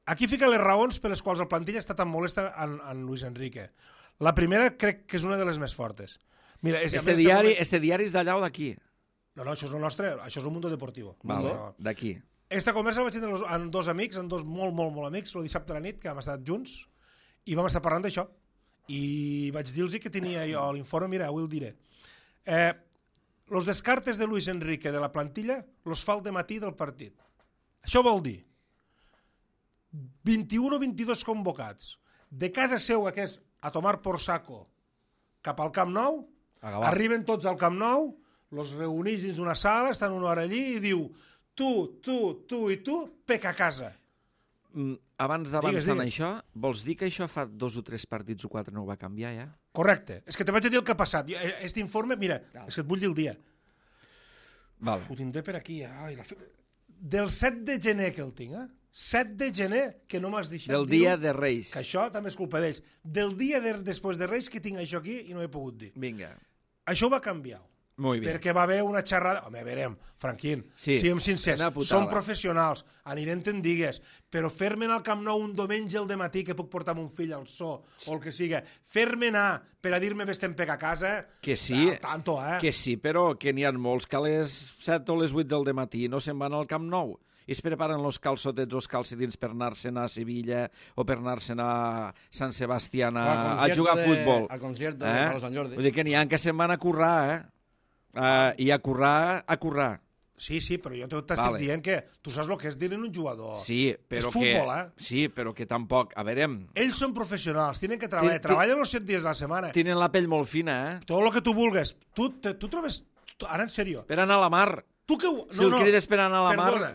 aquí fica les raons per les quals la plantilla està tan molesta en Luis Enrique. La primera crec que és una de les més fortes. Mira, Este diari és d'allà o d'aquí? No, això és el nostre, això és el Mundo Deportivo. Vale, No. d'aquí. Esta conversa la vaig tindre amb dos amics, amb dos molt amics, el dissabte a la nit, que hem estat junts, i vam estar parlant d'això. I vaig dir-los que tenia jo l'informe, mira, avui el diré. Los descartes de Luis Enrique de la plantilla los fa el dematí del partit. Això vol dir 21 o 22 convocats de casa seua, que és a tomar por saco, cap al Camp Nou, arriben tots al Camp Nou, los reunís dins una sala, estan una hora allí i diu tu i tu, pec a casa. Abans d'avançar en això, vols dir que això fa 2 o 3 partits o 4 no ho va canviar, ja? Correcte. És que te vaig a dir el que ha passat. Aquest informe, mira, és que et vull dir el dia. Vale. Ho tindré per aquí. Ai, del 7 de gener que el tinc, 7 de gener, que no m'has deixat Del dia de Reis. Que això també és culpa d'ells. Del dia després de Reis que tinc això aquí i no he pogut dir. Vinga. Això va canviar. Muy bien. Perquè va haver una xerrada... Home, verem, Franquín, siguem sincers, som professionals, anirem te'n digues, però fer-me anar al Camp Nou un diumenge al dematí que puc portar mon fill al so, o el que siga, fer-me anar per a dir-me vés-te'n pec a casa... Que sí, tanto, que sí, però que n'hi ha molts que a les 7 o les 8 del dematí no se'n van al Camp Nou i es preparen els calçotets o els calcetins per anar-se'n a Sevilla o per anar-se'n a Sant Sebastián a jugar a futbol. Al concierto de Sant Jordi. Vull dir que n'hi ha que se'n van a currar, i a currar. Sí, però jo t'estic dient que tu saps el que és dir-ne un jugador. Sí, però és futbol, Sí, però que tampoc... A veure... Ells són professionals, tenen que treballar. Treballen els 7 dies de la setmana. Tenen la pell molt fina, Tot el que tu vulguis. Tu trobes... Ara, en sèrio. Per anar a la mar. Tu que... Si el crides per anar a la mar... Perdona,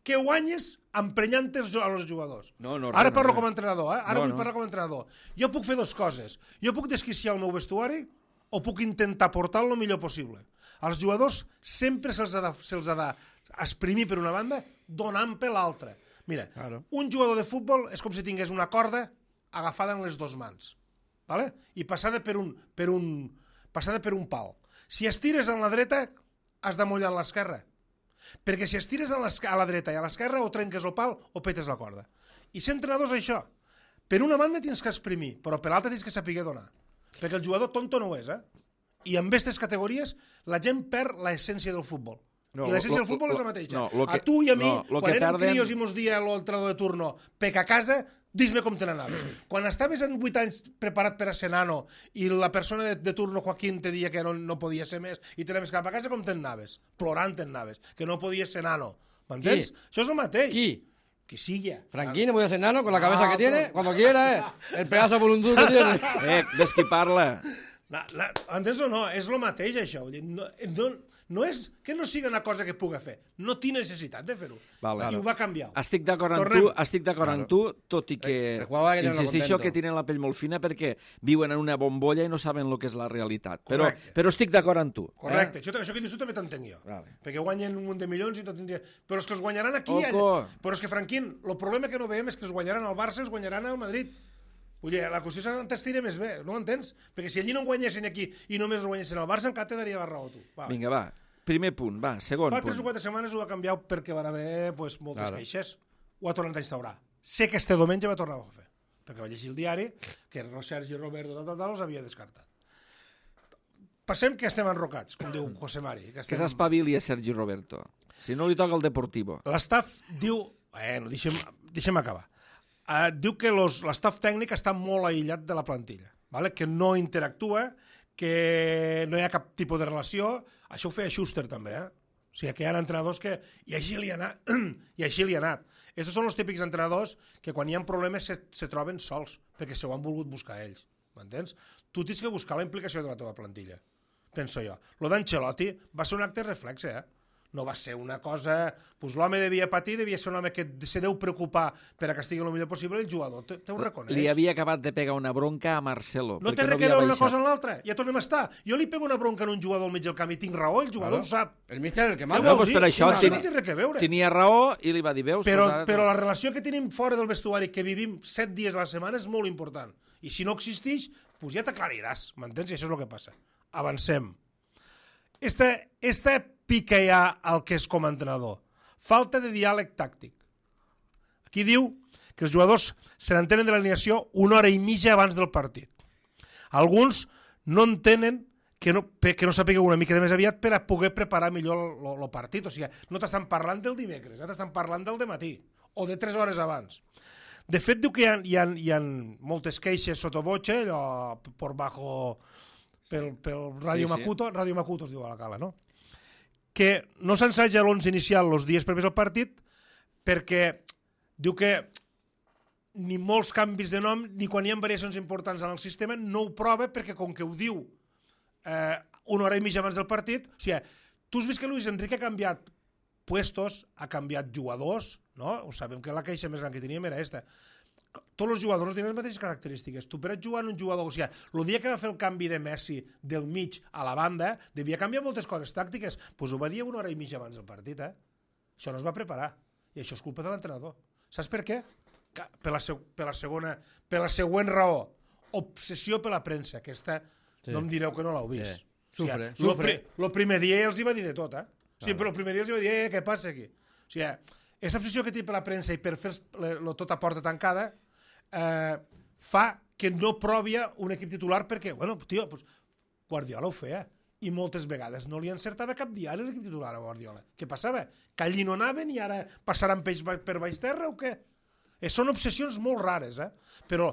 que guanyes emprenyant els jugadors. No, Ara parlo com a entrenador, Ara vull parlar com a entrenador. Jo puc fer 2 coses. Jo puc desquiciar el meu vestuari o puc intentar portar el millor possible. Als jugadors sempre se'ls ha d'esprimir per una banda donant per l'altra. Mira, un jugador de futbol és com si tingués una corda agafada en les 2 mans, ¿vale? I passada per un pal. Si estires en la dreta, has de mullar l'esquerra. Perquè si estires a la dreta i a l'esquerra o trenques el pal o petes la corda. I ser entrenador és això. Per una banda tens que exprimir, però per l'altra tens que saber donar. Perquè el jugador tonto no ho és, I en aquestes categories la gent perd l'essència del futbol. I l'essència del futbol és la mateixa. A tu i a mi, quan érem crios i mos dia l'entrenador de turno pec a casa, dis-me com te n'anaves. Quan estaves en 8 anys preparat per a ser nano i la persona de turno, Joaquín, te dia que no podia ser més i te n'anaves cap a casa, com te n'anaves? Plorant te n'anaves, que no podies ser nano. M'entens? Això és el mateix. Qui? Que sigui. Franquín, voy a ser nano con la cabeza que tiene, cuando quiera, el pedazo voluntuoso que tiene. Ves qui parla. Entens o no? És el mateix, això. No és que no sigui una cosa que puga fer. No tinc necessitat de fer-ho. I ho va canviar. Estic d'acord amb tu, tot i que insisteixo que tenen la pell molt fina perquè viuen en una bombolla i no saben el que és la realitat. Però estic d'acord amb tu. Correcte. Això que dius tu també t'entenc jo. Perquè guanyen un munt de milions i tot tindria... Però és que els guanyaran aquí. Però és que, Franquín, el problema que no veiem és que els guanyaran al Barça, els guanyaran al Madrid. Vull dir, la qüestió és que t'estira més bé, no ho entens? Perquè si allí no guanyessin aquí i només guanyessin al Barça, encara te daria la raó, tu. Vinga, va. Primer punt, va, segon punt. Fa 3 o 4 setmanes ho va canviar perquè van haver moltes queixes. Ho ha tornat a instaurar. Sé que este diumenge va tornar a fer, perquè va llegir el diari que Sergi Roberto els havia descartat. Passem que estem enrocats, com diu José Mari. Que s'espavili a Sergi Roberto. Si no li toca el Deportivo. L'estaf diu... Bueno, deixem acabar. Diu que l'estaf tècnic està molt aïllat de la plantilla, que no interactua, que no hi ha cap tipus de relació. Això ho feia Schuster també, O sigui, que hi ha entrenadors que... I així li ha anat. Estos són els típics entrenadors que quan hi ha problemes se troben sols, perquè s'ho han volgut buscar ells. M'entens? Tu tens que buscar la implicació de la teva plantilla. penso jo. Lo d'Ancelotti va ser un acte reflexe, no va ser una cosa... Pues l'home devia patir, devia ser un home que se deu preocupar per a que estigui el millor possible, i el jugador te ho reconeix. Li havia acabat de pegar una bronca a Marcelo. No té res que veure una cosa amb l'altra, ja tornem a estar. Jo li pego una bronca en un jugador al mig del camp i tinc raó, el jugador ho sap. El míster el que No, manda. doncs per això no té res que veure. tenia raó i li va dir, veus? Però la relació que tenim fora del vestuari, que vivim 7 dies a la setmana, és molt important. I si no existeix, pues ja t'aclariràs, m'entens? I això és el que passa. Avancem. Esta pica ja al que és com a entrenador. Falta de diàleg tàctic. Aquí diu que els jugadors se n'entenen de l'alineació una hora i mitja abans del partit. Alguns no entenen que no sapigueu una mica de més aviat per a poder preparar millor el partit. O sigui, no t'estan parlant del dimecres, t'estan parlant del dematí o de 3 hores abans. De fet, diu que hi ha moltes queixes sotobotxe, allò por bajo, pel Radio Makuto, Radio Makuto es diu a la cala, no? Que no s'ensaja l'11 inicial els dies previs al partit perquè diu que ni molts canvis de nom ni quan hi ha variacions importants en el sistema no ho prova perquè com que ho diu una hora i mitja abans del partit, o sigui, tu has vist que Luis Enrique ha canviat puestos, ha canviat jugadors, no? Ho sabem que la queixa més gran que teníem era aquesta. Tots els jugadors no tenen les mateixes característiques. Tu per jugar en un jugador... O sigui, el dia que va fer el canvi de Messi del mig a la banda, devia canviar moltes coses tàctiques. Doncs ho va dir una hora i mitja abans del partit, Això no es va preparar. I això és culpa de l'entrenador. Saps per què? Per la següent raó. Obsessió per la premsa. Aquesta no em direu que no l'heu vist. Sí. Sufre. El primer dia els hi va dir de tot, O sigui, però el primer dia els hi va dir, què passa aquí? O sigui, aquesta obsessió que té per la premsa i per fer tot a porta tancada fa que no provi un equip titular perquè, bueno, tio, pues, Guardiola ho feia i moltes vegades no li encertava cap dia l'equip titular a Guardiola. Què passava? Que allí no anaven i ara passaran peix per baix terra o què? Són obsessions molt rares, però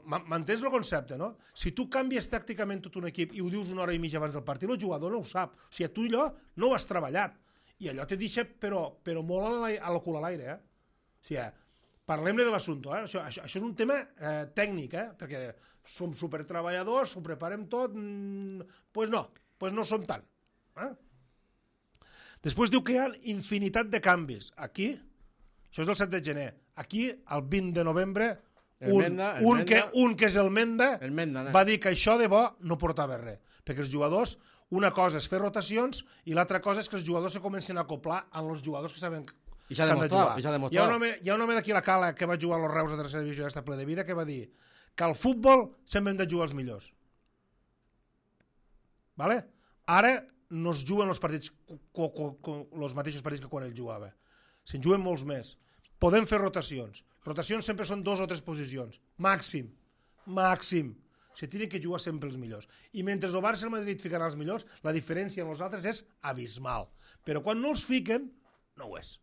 m'entens el concepte, no? Si tu canvies tàcticament tot un equip i ho dius una hora i mitja abans del partit, el jugador no ho sap. O sigui, tu allò no ho has treballat. I allò te deixa, però molt a la cul a l'aire, O sigui, parlem-ne de l'assumpte, Això és un tema tècnic, perquè som supertreballadors, ho preparem tot, pues no som tant. Després diu que hi ha infinitat de canvis. Aquí, això és del 7 de gener, aquí, el 20 de novembre, un que és el Menda, va dir que això de bo no portava res, perquè els jugadors, una cosa és fer rotacions i l'altra cosa és que els jugadors se comencen a acoplar amb els jugadors que saben que han de jugar. Hi ha un home d'aquí a la cala que va jugar a los Reus a tercera divisió d'esta ple de vida que va dir que al futbol sempre hem de jugar els millors. Vale? Ara no es juguen els partits els mateixos partits que quan ell jugava. Se'n juguen molts més. Podem fer rotacions. Rotacions sempre són 2 o 3 posicions. Màxim. Se tenen que jugar sempre els millors. I mentre el Barça i el Madrid ficaran els millors, la diferència amb els altres és abismal. Però quan no els fiquen, no ho és.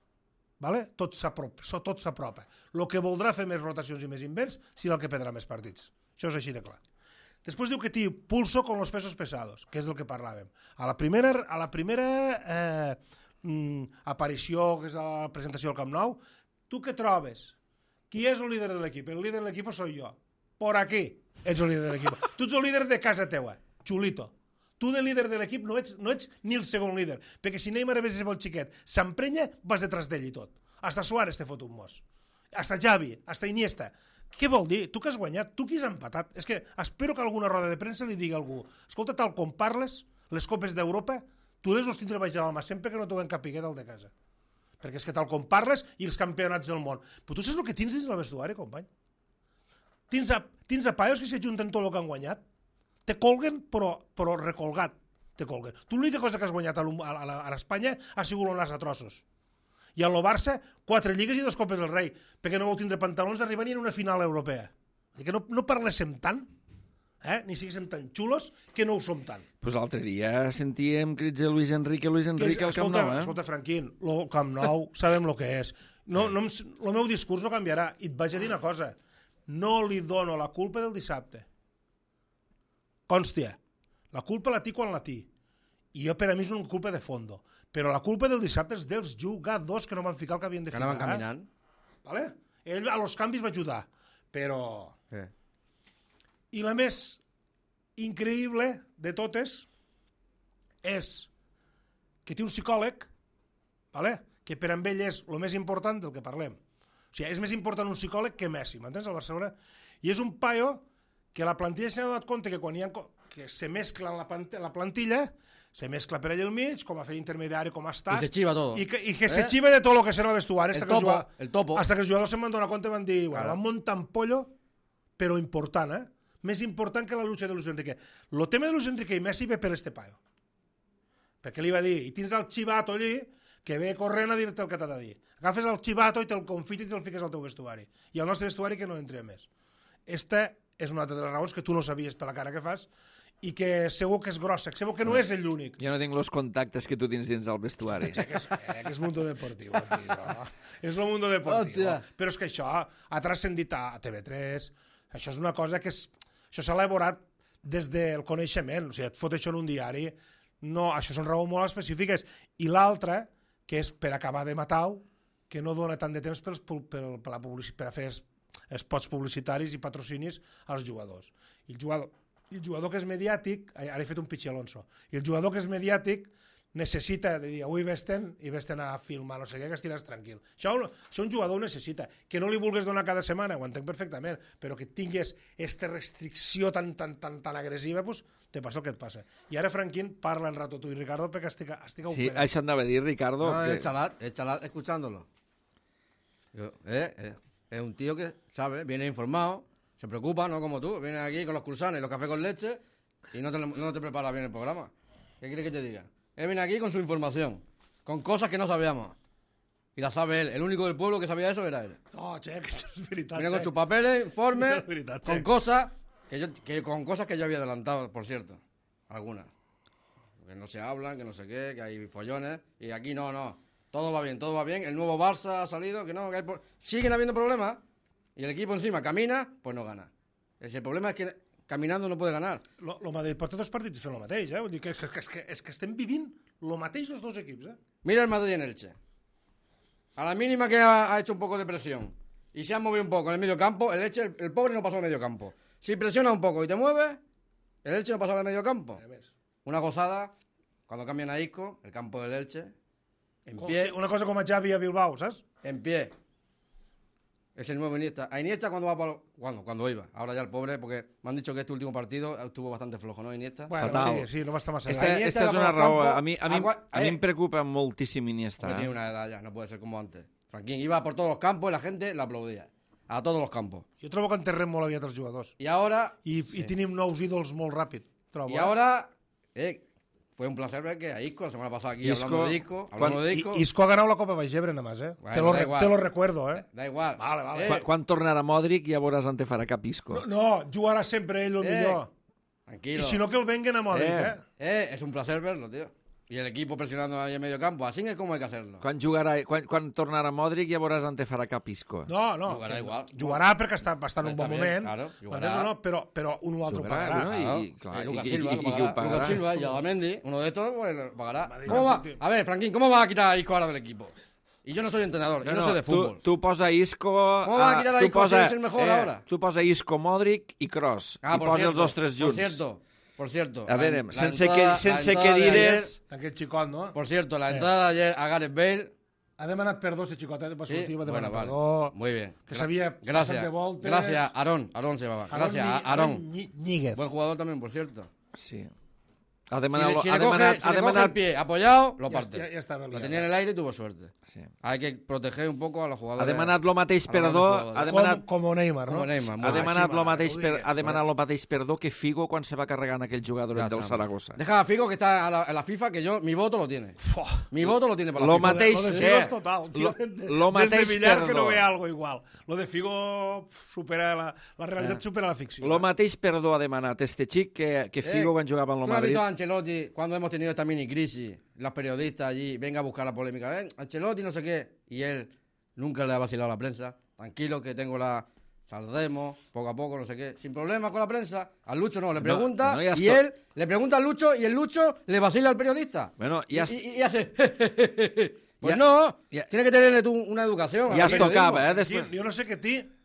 Vale? Tot s'apropa. El que voldrà fer més rotacions i més invents serà el que perdrà més partits. Això és així de clar. Després diu que té pulso con los pesos pesados, que és del que parlàvem. A la primera aparició, que és la presentació del Camp Nou, tu què trobes? Qui és el líder de l'equip? El líder de l'equip soy yo. Por aquí ets el líder de l'equip. Tu ets el líder de casa teua, xulito. Tu de líder de l'equip no ets ni el segon líder, perquè si Neymar és molt xiquet, s'emprenya, vas detrás d'ell i tot. Hasta Suárez te fot un mos. Hasta Xavi, hasta Iniesta. Què vol dir? Tu que has guanyat? Tu qui has empatat? És que espero que alguna roda de premsa li digui a algú escolta, tal com parles, les copes d'Europa, tu les tindre baix de l'alma sempre que no t'ho ven capiguer del de casa. Perquè és que tal com parles i els campionats del món. Però tu saps el que tens dins el vestuari, company? Tens a paios que s'ajunten tot el que han guanyat. Te colguen, però recolgat te colguen. Tu l'única cosa que has guanyat a l'Espanya ha sigut el nas a trossos. I a lo Barça, 4 lligues i 2 copes del rei, perquè no vau tindre pantalons d'arribar ni en una final europea. Que no parléssim tant, ni siguéssim tan xulos, que no ho som tant. Pues l'altre dia sentíem crits de Luis Enrique al Camp Nou, Escolta, Franquín, el Camp Nou sabem el que és. El meu discurs no canviarà. I et vaig a dir una cosa. No li dono la culpa del dissabte. Constia, la culpa la té quan la té. I jo per a mi és una culpa de fondo. Però la culpa del dissabte és dels jugadors que no van ficar el que havien de ficar. Que anaven caminant. Vale? Ell a los canvis va ajudar. Però... I la més increïble de totes és que té un psicòleg, vale? Que per amb ell és el més important del que parlem. O sigui, és més important un psicòleg que Messi, m'entens, al Barcelona? I és un paio que la plantilla s'ha donat compte que quan hi ha que se mescla en la plantilla, se mescla per allà al mig, com a fer intermediari, com estàs, I se chiva todo. i que se chiva de tot el que serà el vestuari, El topo. hasta que els jugadors se'n van donar compte i van dir, bueno, van muntar un pollo, però important, més important que la lucha de Luis Enrique. El tema de Luis Enrique i Messi ve per este paio. Perquè li va dir, i tens el xivato allí, que ve corrent a dir-te el que t'ha de dir. Agafes el xivato i te'l confites i te'l fiques al teu vestuari. I al nostre vestuari que no entri més. Esta és una altra de les raons que tu no sabies per la cara que fas i que segur que és grossa, segur que no és l'únic. Jo no tinc els contactes que tu tens dins del vestuari. Que és mundo deportiu, tio. És el mundo deportiu. Però és que això ha transcendit a TV3. Això és una cosa que això s'ha elaborat des del coneixement. O sigui, et fot això en un diari. No, això són raons molt específiques. I l'altra, que és per acabar de matar-ho, que no dona tant de temps per a fer spots publicitaris i patrocinis als jugadors. I el jugador que és mediàtic, ara he fet un pitxi Alonso, i el jugador que és mediàtic necessita de dir, avui vesten i vesten a filmar, no sé què, que estiràs tranquil. Això un jugador ho necessita. Que no li vulguis donar cada setmana, ho entenc perfectament, però que tinguis aquesta restricció tan agressiva, doncs te passa el que et passa. I ara Franquín parla en rato tu i Ricardo perquè estic ofenent. Sí, això anava a dir, Ricardo. No, es chalat escuchándolo. Es un tío que sabe, viene informado, se preocupa, no como tú, viene aquí con los cruzanes y los cafés con leche y no te prepara bien el programa. ¿Qué quieres que te diga? Él viene aquí con su información, con cosas que no sabíamos. Y la sabe él. El único del pueblo que sabía eso era él. No, che, que això és veritat. Viene con sus papeles, informes, veritat, con che. cosas con cosas que yo había adelantado, por cierto. Algunas. Que no se hablan, que no sé qué, que hay follones. Y aquí no. Todo va bien. El nuevo Barça ha salido, que no, que siguen habiendo problemas. Y el equipo encima camina, pues no gana. El problema es que caminando no puede ganar. Lo Madrid porta dos partits fent el mateix, Vull dir que estem vivint el mateix els dos equips, Mira el Madrid en Elche. A la mínima que ha hecho un poco de presión y se ha movido un poco en el medio campo, el Elche, el pobre no pasó al medio campo. Si presiona un poco y te mueves, el Elche no pasa al medio campo. Una gozada, cuando cambian a Isco, el campo del Elche, en pie. Una cosa com a Xavi a Bilbao, saps? En pie. Es el nuevo Iniesta. A Iniesta cuando iba. Ahora ya el pobre, porque me han dicho que este último partido estuvo bastante flojo, ¿no, Iniesta? Bueno, sí, no va estar massa Esta bé. és una raó. A mi em preocupa moltíssim Iniesta. Porque tiene una edad ya, no puede ser como antes. Franquín iba por todos los campos y la gente le aplaudía. A todos los campos. Jo trobo que enterrem molt aviat els jugadors. Y ahora... I tenim nous ídols molt ràpid, trobo. Y ahora... fue un placer ver que a Isco, la semana pasada aquí hablando de Isco. Isco ha ganado la Copa Vallgebre nada más, Bueno, te lo recuerdo, Da igual. Vale. Quan tornarà Modric ja veuràs on te farà cap Isco. No, jugarà sempre ell el millor. Tranquilo. I si no que el venguen a Modric, Es un placer verlo, tío. Y el equipo presionando ahí en medio campo. Así es como hay que hacerlo. Quan tornarà Modric ja veuràs on te farà cap Isco. No. Jugarà igual. Jugarà perquè està en un bon moment. Claro, però un o altre pagarà. No? Lucas I Silva, qui ho pagarà? Lucas Silva y Adamendi, uno de estos, pues pagará. ¿Cómo va? A ver, Franquín, ¿cómo va a quitar a Isco ahora del equipo? Y yo no soy entrenador, yo no sé de fútbol. Tu posa Isco... ¿Cómo va a quitar a Isco si es el mejor ahora? Tu posa Isco, Modric i Kroos. I posa els dos tres junts. Por cierto. A veure, sense que dires... Aquest xicot, no? Por cierto, la entrada de ayer a Gareth Bale... Ha demanat perdó, este xicot, va sortir, va demanar vale. perdó. Muy bien. Que sabia passat de voltes. Gracias, Aarón se llamaba. Gracias, Aarón. Ñíguez. Buen jugador también, por cierto. Sí. Ha demanat... Si le coge el pie apoyado, lo parte. Ja estava Lo tenía en el aire y tuvo suerte. Sí. Hay que proteger un poco a los jugadores. Ha demanat lo mateix perdó... Com Neymar, no? Como Neymar. Ha demanat lo mateix perdó que Figo quan se va carregar en aquell jugador del Zaragoza. Deja a Figo que está a la FIFA, que mi voto lo tiene. Mi voto lo tiene para la Lo FIFA. mateix... Lo de Figo és total. Lo mateix Des de Villar perdó. que no ve algo igual. Lo de Figo supera la realitat supera la ficció. Lo mateix perdó ha demanat este xic que Figo quan jugava en el ¿Tú has Madrid. visto a Ancelotti cuando hemos tenido esta mini crisis? Los periodistas allí, venga a buscar la polémica. Ancelotti no sé qué. Y él nunca le ha vacilado a la prensa. Tranquilo que saldremos poco a poco, no sé qué. Sin problemas con la prensa. Al Lucho no, le pregunta y él le pregunta al Lucho y el Lucho le vacila al periodista. Bueno, y hace... Pues no, tiene que tenerle tú una educación. Ja es tocava, després... Jo no sé que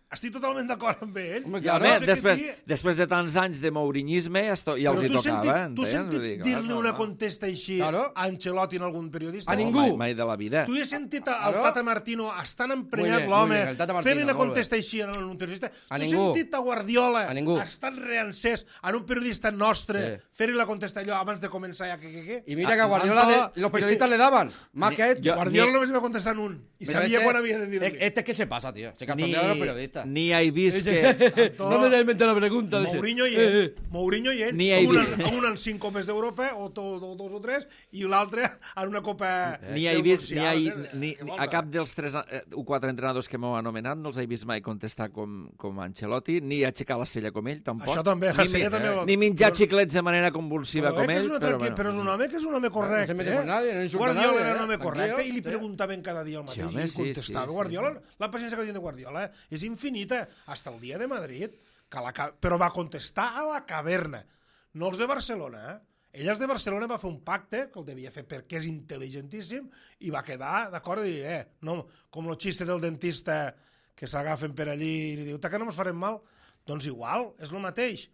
a estic totalment d'acord amb ell. Home, I claro. a més, No sé què després de tants anys de mourinyisme ja els tocava, tu has sentit dir-li una contesta així Claro. a Ancelotti en algun periodista? A ningú. Mai de la vida. Tu has sentit al Claro. Tata Martino estan Muy emprenyat bien, l'home muy bien, el Tata Martino, fent una molt bé. contesta així en un periodista? A Tu has ningú. sentit a Guardiola A ningú. estan reancès en un periodista nostre Sí. fer-li la contesta allò abans de començar ja que? Y mira que a Guardiola los periodistas le daban más que esto. Guardiola només va contestar en un i Pero sabia este- quan havia de dir-li. Este es que se pasa, tío. Se cachondea de los periodistas. Ni he vist que... ¿Dónde le inventé la pregunta? Dice. Mourinho i ell, Ni hi un en 5 copes d'Europa, o 2 o 3, i l'altre en una copa Ni he del vist, Mundial, ni Què vols, a cap dels 3 o 4 entrenadors que m'heu anomenat no els he vist mai contestar com Ancelotti, ni aixecar la cella com ell, tampoc. Això també, la sella també... Ni menjar xiclets de manera convulsiva com que és ell, una però és un home que és un home correcte. No se mete con nadie, no insulta a Guardiola nadie, era un home tranquilo, correcte i li sí. preguntaven cada dia el mateix home, i sí, contestava. sí. Guardiola, la paciència que tenia de Guardiola és infinita, hasta el dia de Madrid, però va contestar a la caverna, no els de Barcelona, Ell els de Barcelona va fer un pacte, que el devia fer perquè és intel·ligentíssim, i va quedar d'acord i dir, no, com el xiste del dentista que s'agafen per allí i li diu, que no ens farem mal? Doncs igual, és el mateix.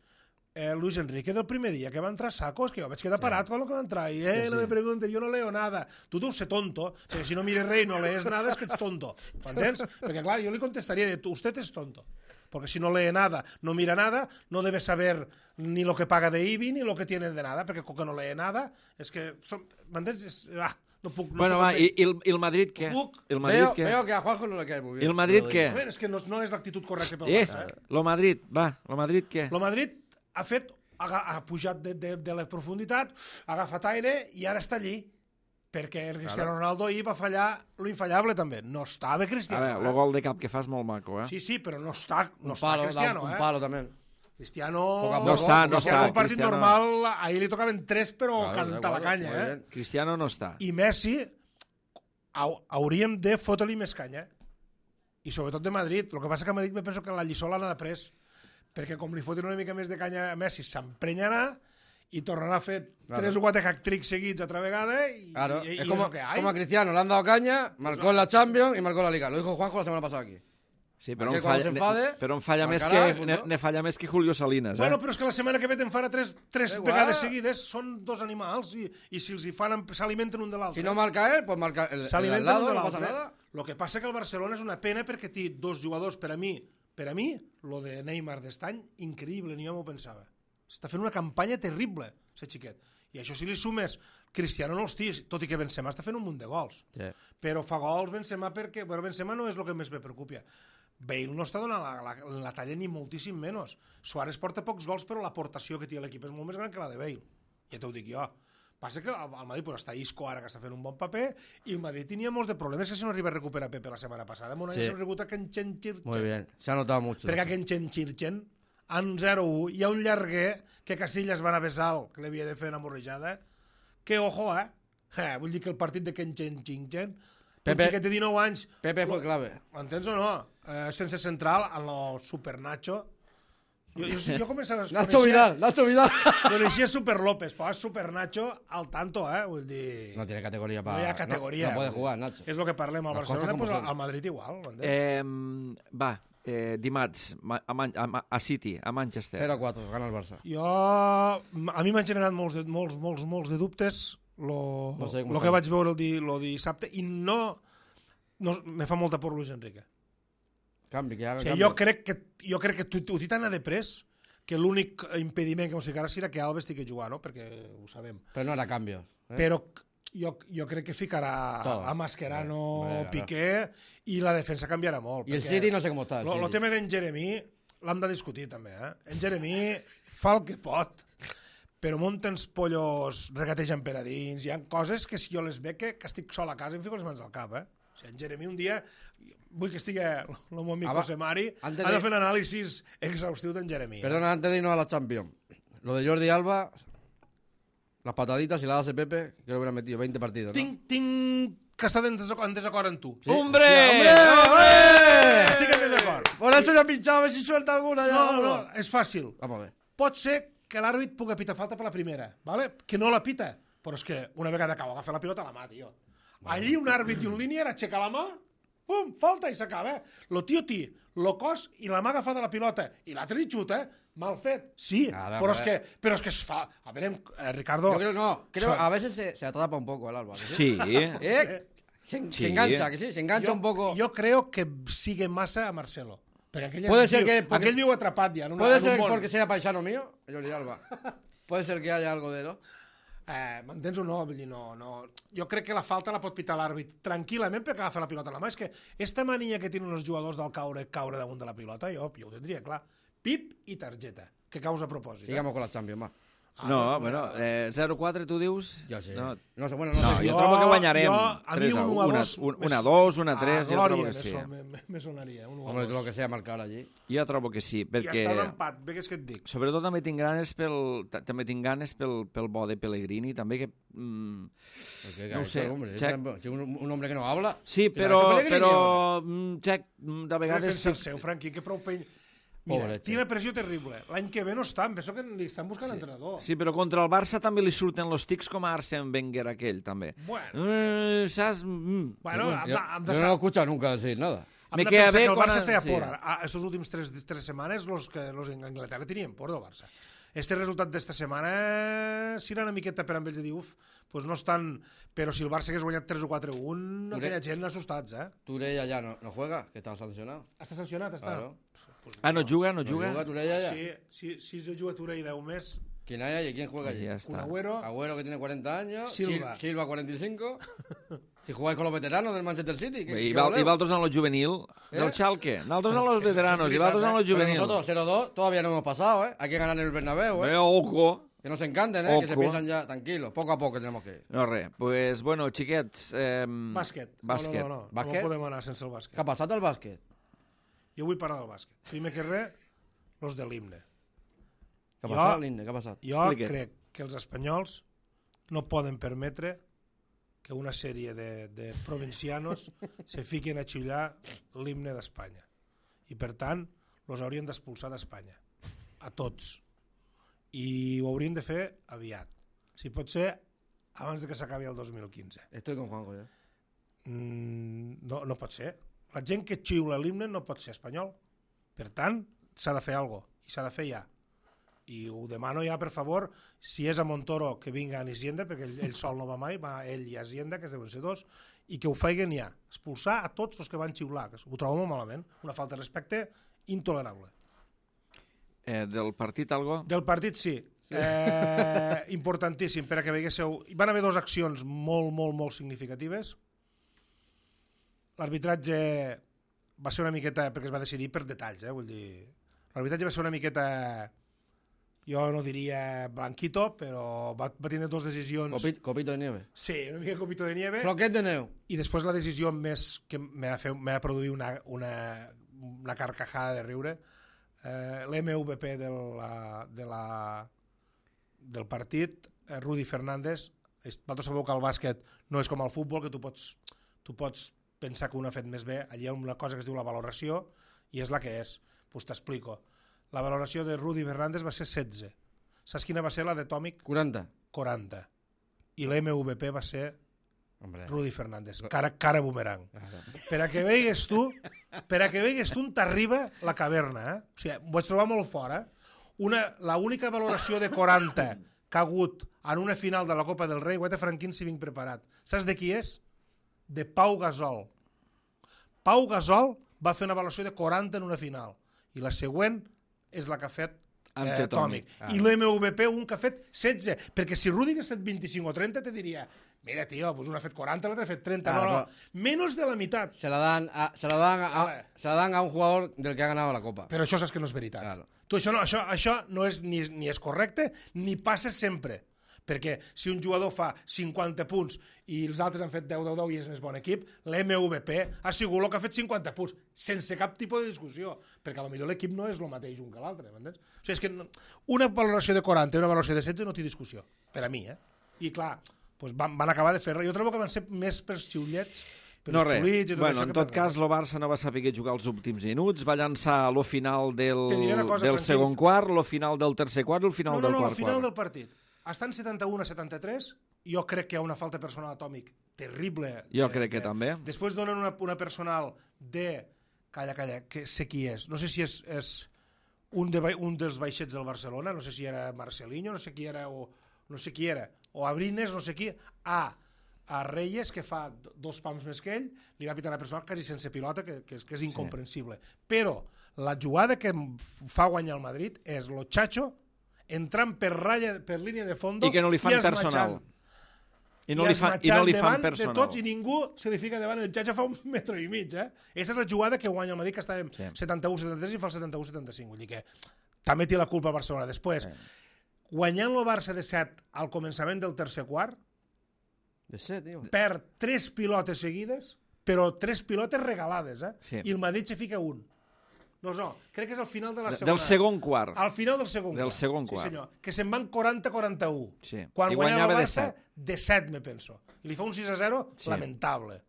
Luis Enrique del primer dia que va entrar saco, és que jo vaig quedar parat quan va entrar i no me preguntes, jo no leo nada. Tu deus ser tonto, perquè si no mires res i no lees nada és que ets tonto, m'entens? Perquè clar, jo li contestaria, usted es tonto, porque si no lee nada, no mira nada, no debe saber ni lo que paga de IBI ni lo que tiene de nada, perquè com que no lee nada, és que, m'entens? No puc... Bueno, va, i el Madrid què? El Madrid què? Veo que a Juanjo no le cae muy bien. El Madrid què? És que no és l'actitud correcta pel Barça. Lo Madrid, va, lo Madrid què? El Madrid ha pujat de la profunditat, ha agafat aire i ara està allí. Perquè el Cristiano Ronaldo ahir va fallar l'infallable també. No estava Cristiano. A veure, el gol de cap que fa és molt maco, Sí, però no està Cristiano. Un palo també. Cristiano... No està. Un partit normal, ahir li tocaven 3, però canta la canya. Cristiano no està. I Messi, hauríem de fotre-li més canya. I sobretot de Madrid. El que passa que a Madrid me penso que la lliçó l'han après. Perquè com li fotin una mica més de canya a Messi, s'emprenyarà y tornará a hacer 3 o 4 hat-tricks seguidos otra vegada y es como, lo que hay. Como a Cristiano, le han dado caña, marcó en la Champions y marcó en la Liga. Lo dijo Juanjo la semana pasada aquí. Sí, però em falla més que Julio Salinas. Bueno, però és que la setmana que ve te'n farà 3 vegades seguides, són 2 animals i si els hi fan s'alimenten un de l'altre. Si no marca él, pues marca el al lado, no pasa nada. Lo que passa que el Barcelona és una pena perquè té 2 jugadors, per a mi, lo de Neymar d'estany, increïble, ni jo m'ho pensava. Està fent una campanya terrible, aquest xiquet. I això si li sumes, Cristiano no els tis, tot i que Benzema està fent un munt de gols. Sí. Però fa gols Benzema perquè... Bueno, Benzema no és el que més me preocupa. Bale no està donant la talla ni moltíssim menys. Suárez porta pocs gols, però l'aportació que té l'equip és molt més gran que la de Bale. Ja t'ho dic jo. Passa que el Madrid pues, està Isco ara que està fent un bon paper i el Madrid tenia molts de problemes que si no arriba a recuperar Pepe la setmana passada. Mon any s'ha reconegut a Kenchen Chirchen. Muy bien, se ha notado mucho. Perquè a Kenchen Chirchen en 0-1 hi ha un llarguer que Casillas va anar a besar que l'havia de fer una morrejada. Que ojo, vull dir que el partit de Kenchen Chirchen, un xiquet de 19 anys... Pepe fue clave. Entens o no? Sense central, en el Super Nacho. Jo començava... Nacho Vidal. Coneixia Super López, però és Super Nacho al tanto, vull dir... No tiene categoría para... No hi ha categoria. No puede jugar, Nacho. És el que parlem al Barcelona, pues al Madrid igual. Va, dimarts, a City, a Manchester. 0-4, gana el Barça. A mi m'han generat molts de dubtes el que vaig veure el dissabte i no me fa molta por Luis Enrique. Canvi, que haga jo crec que ho té tan a de pres que l'únic impediment que ens ficarà serà que Alves tingui que jugar, no? Perquè ho sabem. Però no era canvios. Però jo crec que ficarà a Mascherano, Piqué i la defensa canviarà molt. I el City no sé com està. El tema d'en Jeremy l'hem de discutir també. En Jeremy fa el que pot, però munta els pollos, regategen per a dins, hi ha coses que si jo les veig que estic sol a casa em fico les mans al cap. O sigui, en Jeremy un dia, vull que estigui el meu amic José Mari, ha de fer un anàlisi exhaustiu d'en Jeremy. Perdona, antes de irnos a la Champions, lo de Jordi Alba, las pataditas, si la hace Pepe, que le hubieran metido 20 partidos, ¿no? Tinc que estar en desacord amb tu. Sí. ¡Hombre! Estic en desacord. Por eso ya he pinchado, a ver si suelta alguna. No, és fàcil. Vamos a ver. Pot ser que l'àrbit pugui pitar falta per la primera, ¿vale? Que no la pita, però és que una vegada acaba agafar la pilota a la mà, tio. Allí un àrbit i un línier aixeca la mà pum, falta i s'acaba. Lo tio té lo cos i la mà agafada la pilota i l'altre li xuta, mal fet. Sí, però és que es fa... A veure, Ricardo... Yo creo a veces se atrapa un poco el Alba. Sí. Se engancha, que sí, se engancha un poco. Jo creo que sigue massa a Marcelo. Puede ser que... Aquell viu atrapat ja. Puede ser porque sea paisano mío, Jordi Alba. Puede ser que haya algo de eso. M'entens o no? Vull dir, no. Jo crec que la falta la pot pitar l'àrbit tranquil·lament perquè agafa la pilota a la mà. És que esta mania que tenen els jugadors del caure damunt de la pilota, jo ho tindria clar. Pip i targeta, que caus a propòsit. Sigamos con la Champions, va. No, bueno, 0-4 tu dius? Jo sé. No, No sé, bueno, no, no sé. jo trobo que guanyarem a mi 1-2, 1-3, jo trobo que sí. Me sonaria, 1-2. Hombre, lo que sea marcar allí. Jo trobo que sí, I perquè... està l'empat, bé que és que et dic. Sobretot també tinc ganes pel bo de Pellegrini, també que... no ho sé. Un hombre que no habla. Sí, però Jack, de vegades... Defensa el seu, Franqui, que prou pell... Mira, tiene pressió terrible. L'any que ve no està, em penso que li estan buscant entrenador. Sí, però contra el Barça també li surten los tics com a Arsène Wenger aquell, també. Bueno, saps? Bueno, Yo no lo he escuchado nunca decir nada. Hem de pensar que el Barça feia por. Estos últims tres setmanes los d'Anglaterra tenien por del Barça. Este resultat d'esta setmana serà una miqueta per amb ells de dir, pues no estan... Però si el Barça hagués guanyat 3 o 4-1, aquella gent assustats, Turella ya no juega, que estaba sancionado. Està sancionat, està? Claro. No juga? ¿No juega Turella ya? Sí, si jo jugo a Turella 10 més... ¿Quién hay allí? ¿Quién juega allí? Ja està. Un Agüero... Agüero, que tiene 40 años. Silva 45. Si jugáis con los veteranos del Manchester City. I vosaltres en lo juvenil del Schalke. Nosaltres en los veteranos i vosaltres en lo juvenil. Nosotros 0-2 todavía no hemos pasado, ¿eh? Hay que ganar en el Bernabéu, ¿eh? Ojo. Que no se encanten, ¿eh? Ojo. Que se piensan ya tranquilos. Poco a poco tenemos que ir. No, res. Pues, bueno, xiquets... Bàsquet. Bàsquet. No Bàsquet? podem anar sense el bàsquet. ¿Qué ha pasado al básquet? Jo vull parlar del bàsquet. Primer que res, los de l'himne. ¿Qué ha pasado, Linde? ¿Qué ha pasado? Jo crec que els espanyols no poden permetre que una sèrie de provincianos se fiquen a xullar l'himne d'Espanya. I, per tant, los haurien d'expulsar d'Espanya. A tots. I ho haurien de fer aviat. Si pot ser, abans de que s'acabi el 2015. Estoy con Juanjo, ya. No pot ser. La gent que xiula l'himne no pot ser espanyol. Per tant, s'ha de fer alguna cosa. I s'ha de fer ja. I ho demano ja, per favor, si és a Montoro, que vinga a Isienda, perquè ell sol no va mai, va ell i a Isienda, que deuen ser dos, i que ho feien ja. Expulsar a tots els que van xiular, que ho trobo molt malament. Una falta de respecte intolerable. Del partit, algo? Del partit, sí. Importantíssim, per a que veiéssiu... Van haver dues accions molt significatives. L'arbitratge va ser una miqueta, perquè es va decidir per detalls, vull dir... L'arbitratge va ser una miqueta... Jo no diria blanquito, però va tindre dues decisions... Copito de nieve. Sí, una mica copito de nieve. Floquet de neu. I després la decisió més que m'ha produït una carcajada de riure, l'MVP del partit, Rudy Fernández. Vosaltres sabeu que el bàsquet no és com el futbol, que tu pots pensar que un ha fet més bé. Allí hi ha una cosa que es diu la valoració i és la que és. Pues t'explico. La valoració de Rudy Fernández va ser 16. Saps quina va ser la de Tòmic? 40. 40. I l'MVP va ser Rudy Fernández. Cara boomerang. Per a que veigues tu on t'arriba la caverna. O sigui, ho vaig trobar molt fora. L'única valoració de 40 que ha hagut en una final de la Copa del Rei, guaita Franquín si vinc preparat. Saps de qui és? De Pau Gasol. Pau Gasol va fer una valoració de 40 en una final. I la següent és la que ha fet Tòmic. I l'MVP un que ha fet 16. Perquè si Rudy hagués fet 25 o 30 te diria, mira, tio, pues un ha fet 40, l'altre ha fet 30. No. Menos de la mitad. Se la dan a un jugador del que ha ganado la Copa. Però això saps que no és veritat. Claro. Tu, això no és ni és correcte ni passa sempre. Perquè si un jugador fa 50 punts i els altres han fet 10-10 i és més bon equip, l'MVP ha sigut el que ha fet 50 punts, sense cap tipus de discussió, perquè potser l'equip no és el mateix un que l'altre, m'entens? O sigui, és que una valoració de 40 i una valoració de 16 no té discussió, per a mi, I clar, doncs van acabar de fer-la. Jo trobo que van ser més per xiulets, per no res. Bueno, en tot cas, el Barça no va saber jugar els últims minuts, va llançar lo final del segon quart, lo final del tercer quart i el final del quart quart. No, el final del partit. Estan 71-73 jo crec que hi ha una falta personal atòmic terrible. Jo crec que també. Després donen una personal de... Calla, que sé qui és. No sé si és un dels baixets del Barcelona, no sé si era Marcelinho, no sé qui era, o Abrines, no sé qui, a Reyes, que fa 2 pams més que ell, li va pitar la personal quasi sense pilota, que és incomprensible. Però la jugada que fa guanyar el Madrid és lo Chacho entrant per línia de fondo i que no li fan personal. I no li fan personal. De tots i ningú se li fica davant. El Chacho fa 1,5 metres. Aquesta és la jugada que guanya el Madrid, que estàvem 71-73 i fa el 71-75. Vull dir que també té la culpa Barcelona. Després, guanyant el Barça de 7 al començament del tercer quart, perd 3 pilotes seguides, però 3 pilotes regalades, i el Madrid se fica un. No, crec que és al final de la segona. Del segon quart. Al final del segon quart. Sí, senyor. Que se'n van 40-41. Sí. Quan guanyava el Barça, de 7, me penso. I li fa un 6-0 lamentable.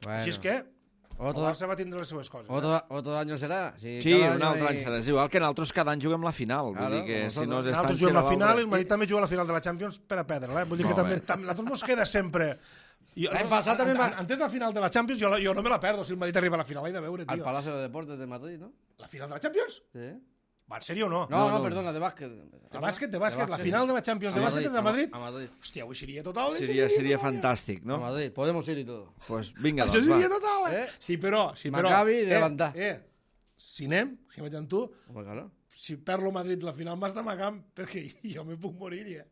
Així és que el Barça va tindre les seues coses. Otro año serà. Sí, un altre any serà. És igual que nosaltres cada any juguem la final. Vull dir que si no nosaltres juguem la final i el Madrid també juga la final de la Champions per a perdre-la. Vull dir que també nosaltres ens queda sempre... Antes de la final de la Champions jo no me la perdo si el Madrid arriba a la final, l'he de veure, tio. Al Palacio de Deportes de Madrid, ¿no? ¿La final de la Champions? Sí. ¿Va, en serio o no? No, perdona, de bàsquet. De bàsquet, la final de la Champions de bàsquet és de Madrid? A Madrid. Hòstia, avui seria total. Seria fantàstic, no? A Madrid, podemos ir y todo. Pues vinga, això seria total, Sí, però... Maccabi de levantar. Si anem, si vaig amb tu, claro. Si perlo Madrid la final m'has d'amagar perquè jo me puc morir,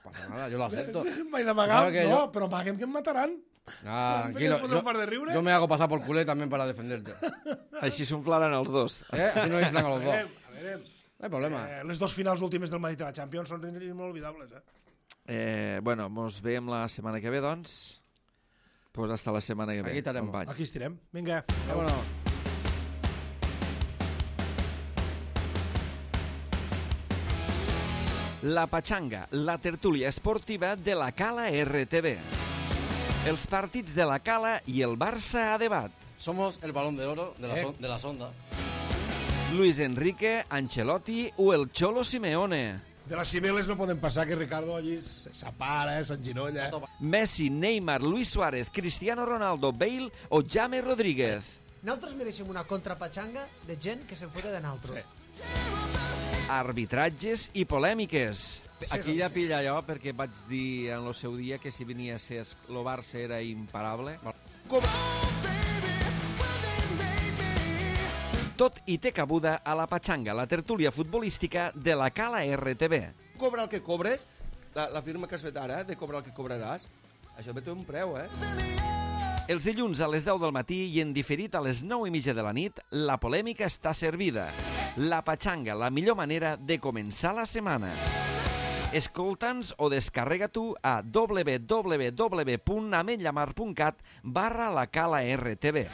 Pasa nada, yo lo acepto. M'he d'amagar, no, però amaguem que em mataran. Tranquilo, yo me hago pasar por culé también para defenderte. Així s'unflaran els dos. Así no inflan a los dos. A veure, no hay problema. Les 2 finals últimes del Madrid de la Champions són inolvidables, Bueno, mos veiem la setmana que ve, doncs. Pues hasta la setmana que ve. Aquí estarem. Aquí estirem. Vinga. Vámonos. La Pachanga, la tertúlia esportiva de la Cala RTV. Els partits de la Cala i el Barça a debat. Somos el balón de oro de las ondas. Luis Enrique, Ancelotti o el Cholo Simeone. De les Cibeles no podem passar que Ricardo allí s'apara, s'enginolla. Messi, Neymar, Luis Suárez, Cristiano Ronaldo, Bale o James Rodríguez. Nosaltres mereixem una contrapatxanga de gent que se'n fota de nosaltres. Arbitratges i polèmiques. Aquí ja pilla allò perquè vaig dir en el seu dia que si venia a ser el Barça era imparable. Tot i té cabuda a la Pachanga, la tertúlia futbolística de la Cala RTV. Cobra el que cobres, la firma que has fet ara, de cobrar el que cobraràs, això també té un preu, Els dilluns a les 10 del matí i en diferit a les 9:30 de la nit, la polèmica està servida. La Pachanga, la millor manera de començar la setmana. Escolta'ns o descarrega tu a www.ametllamar.cat/la Cala RTV.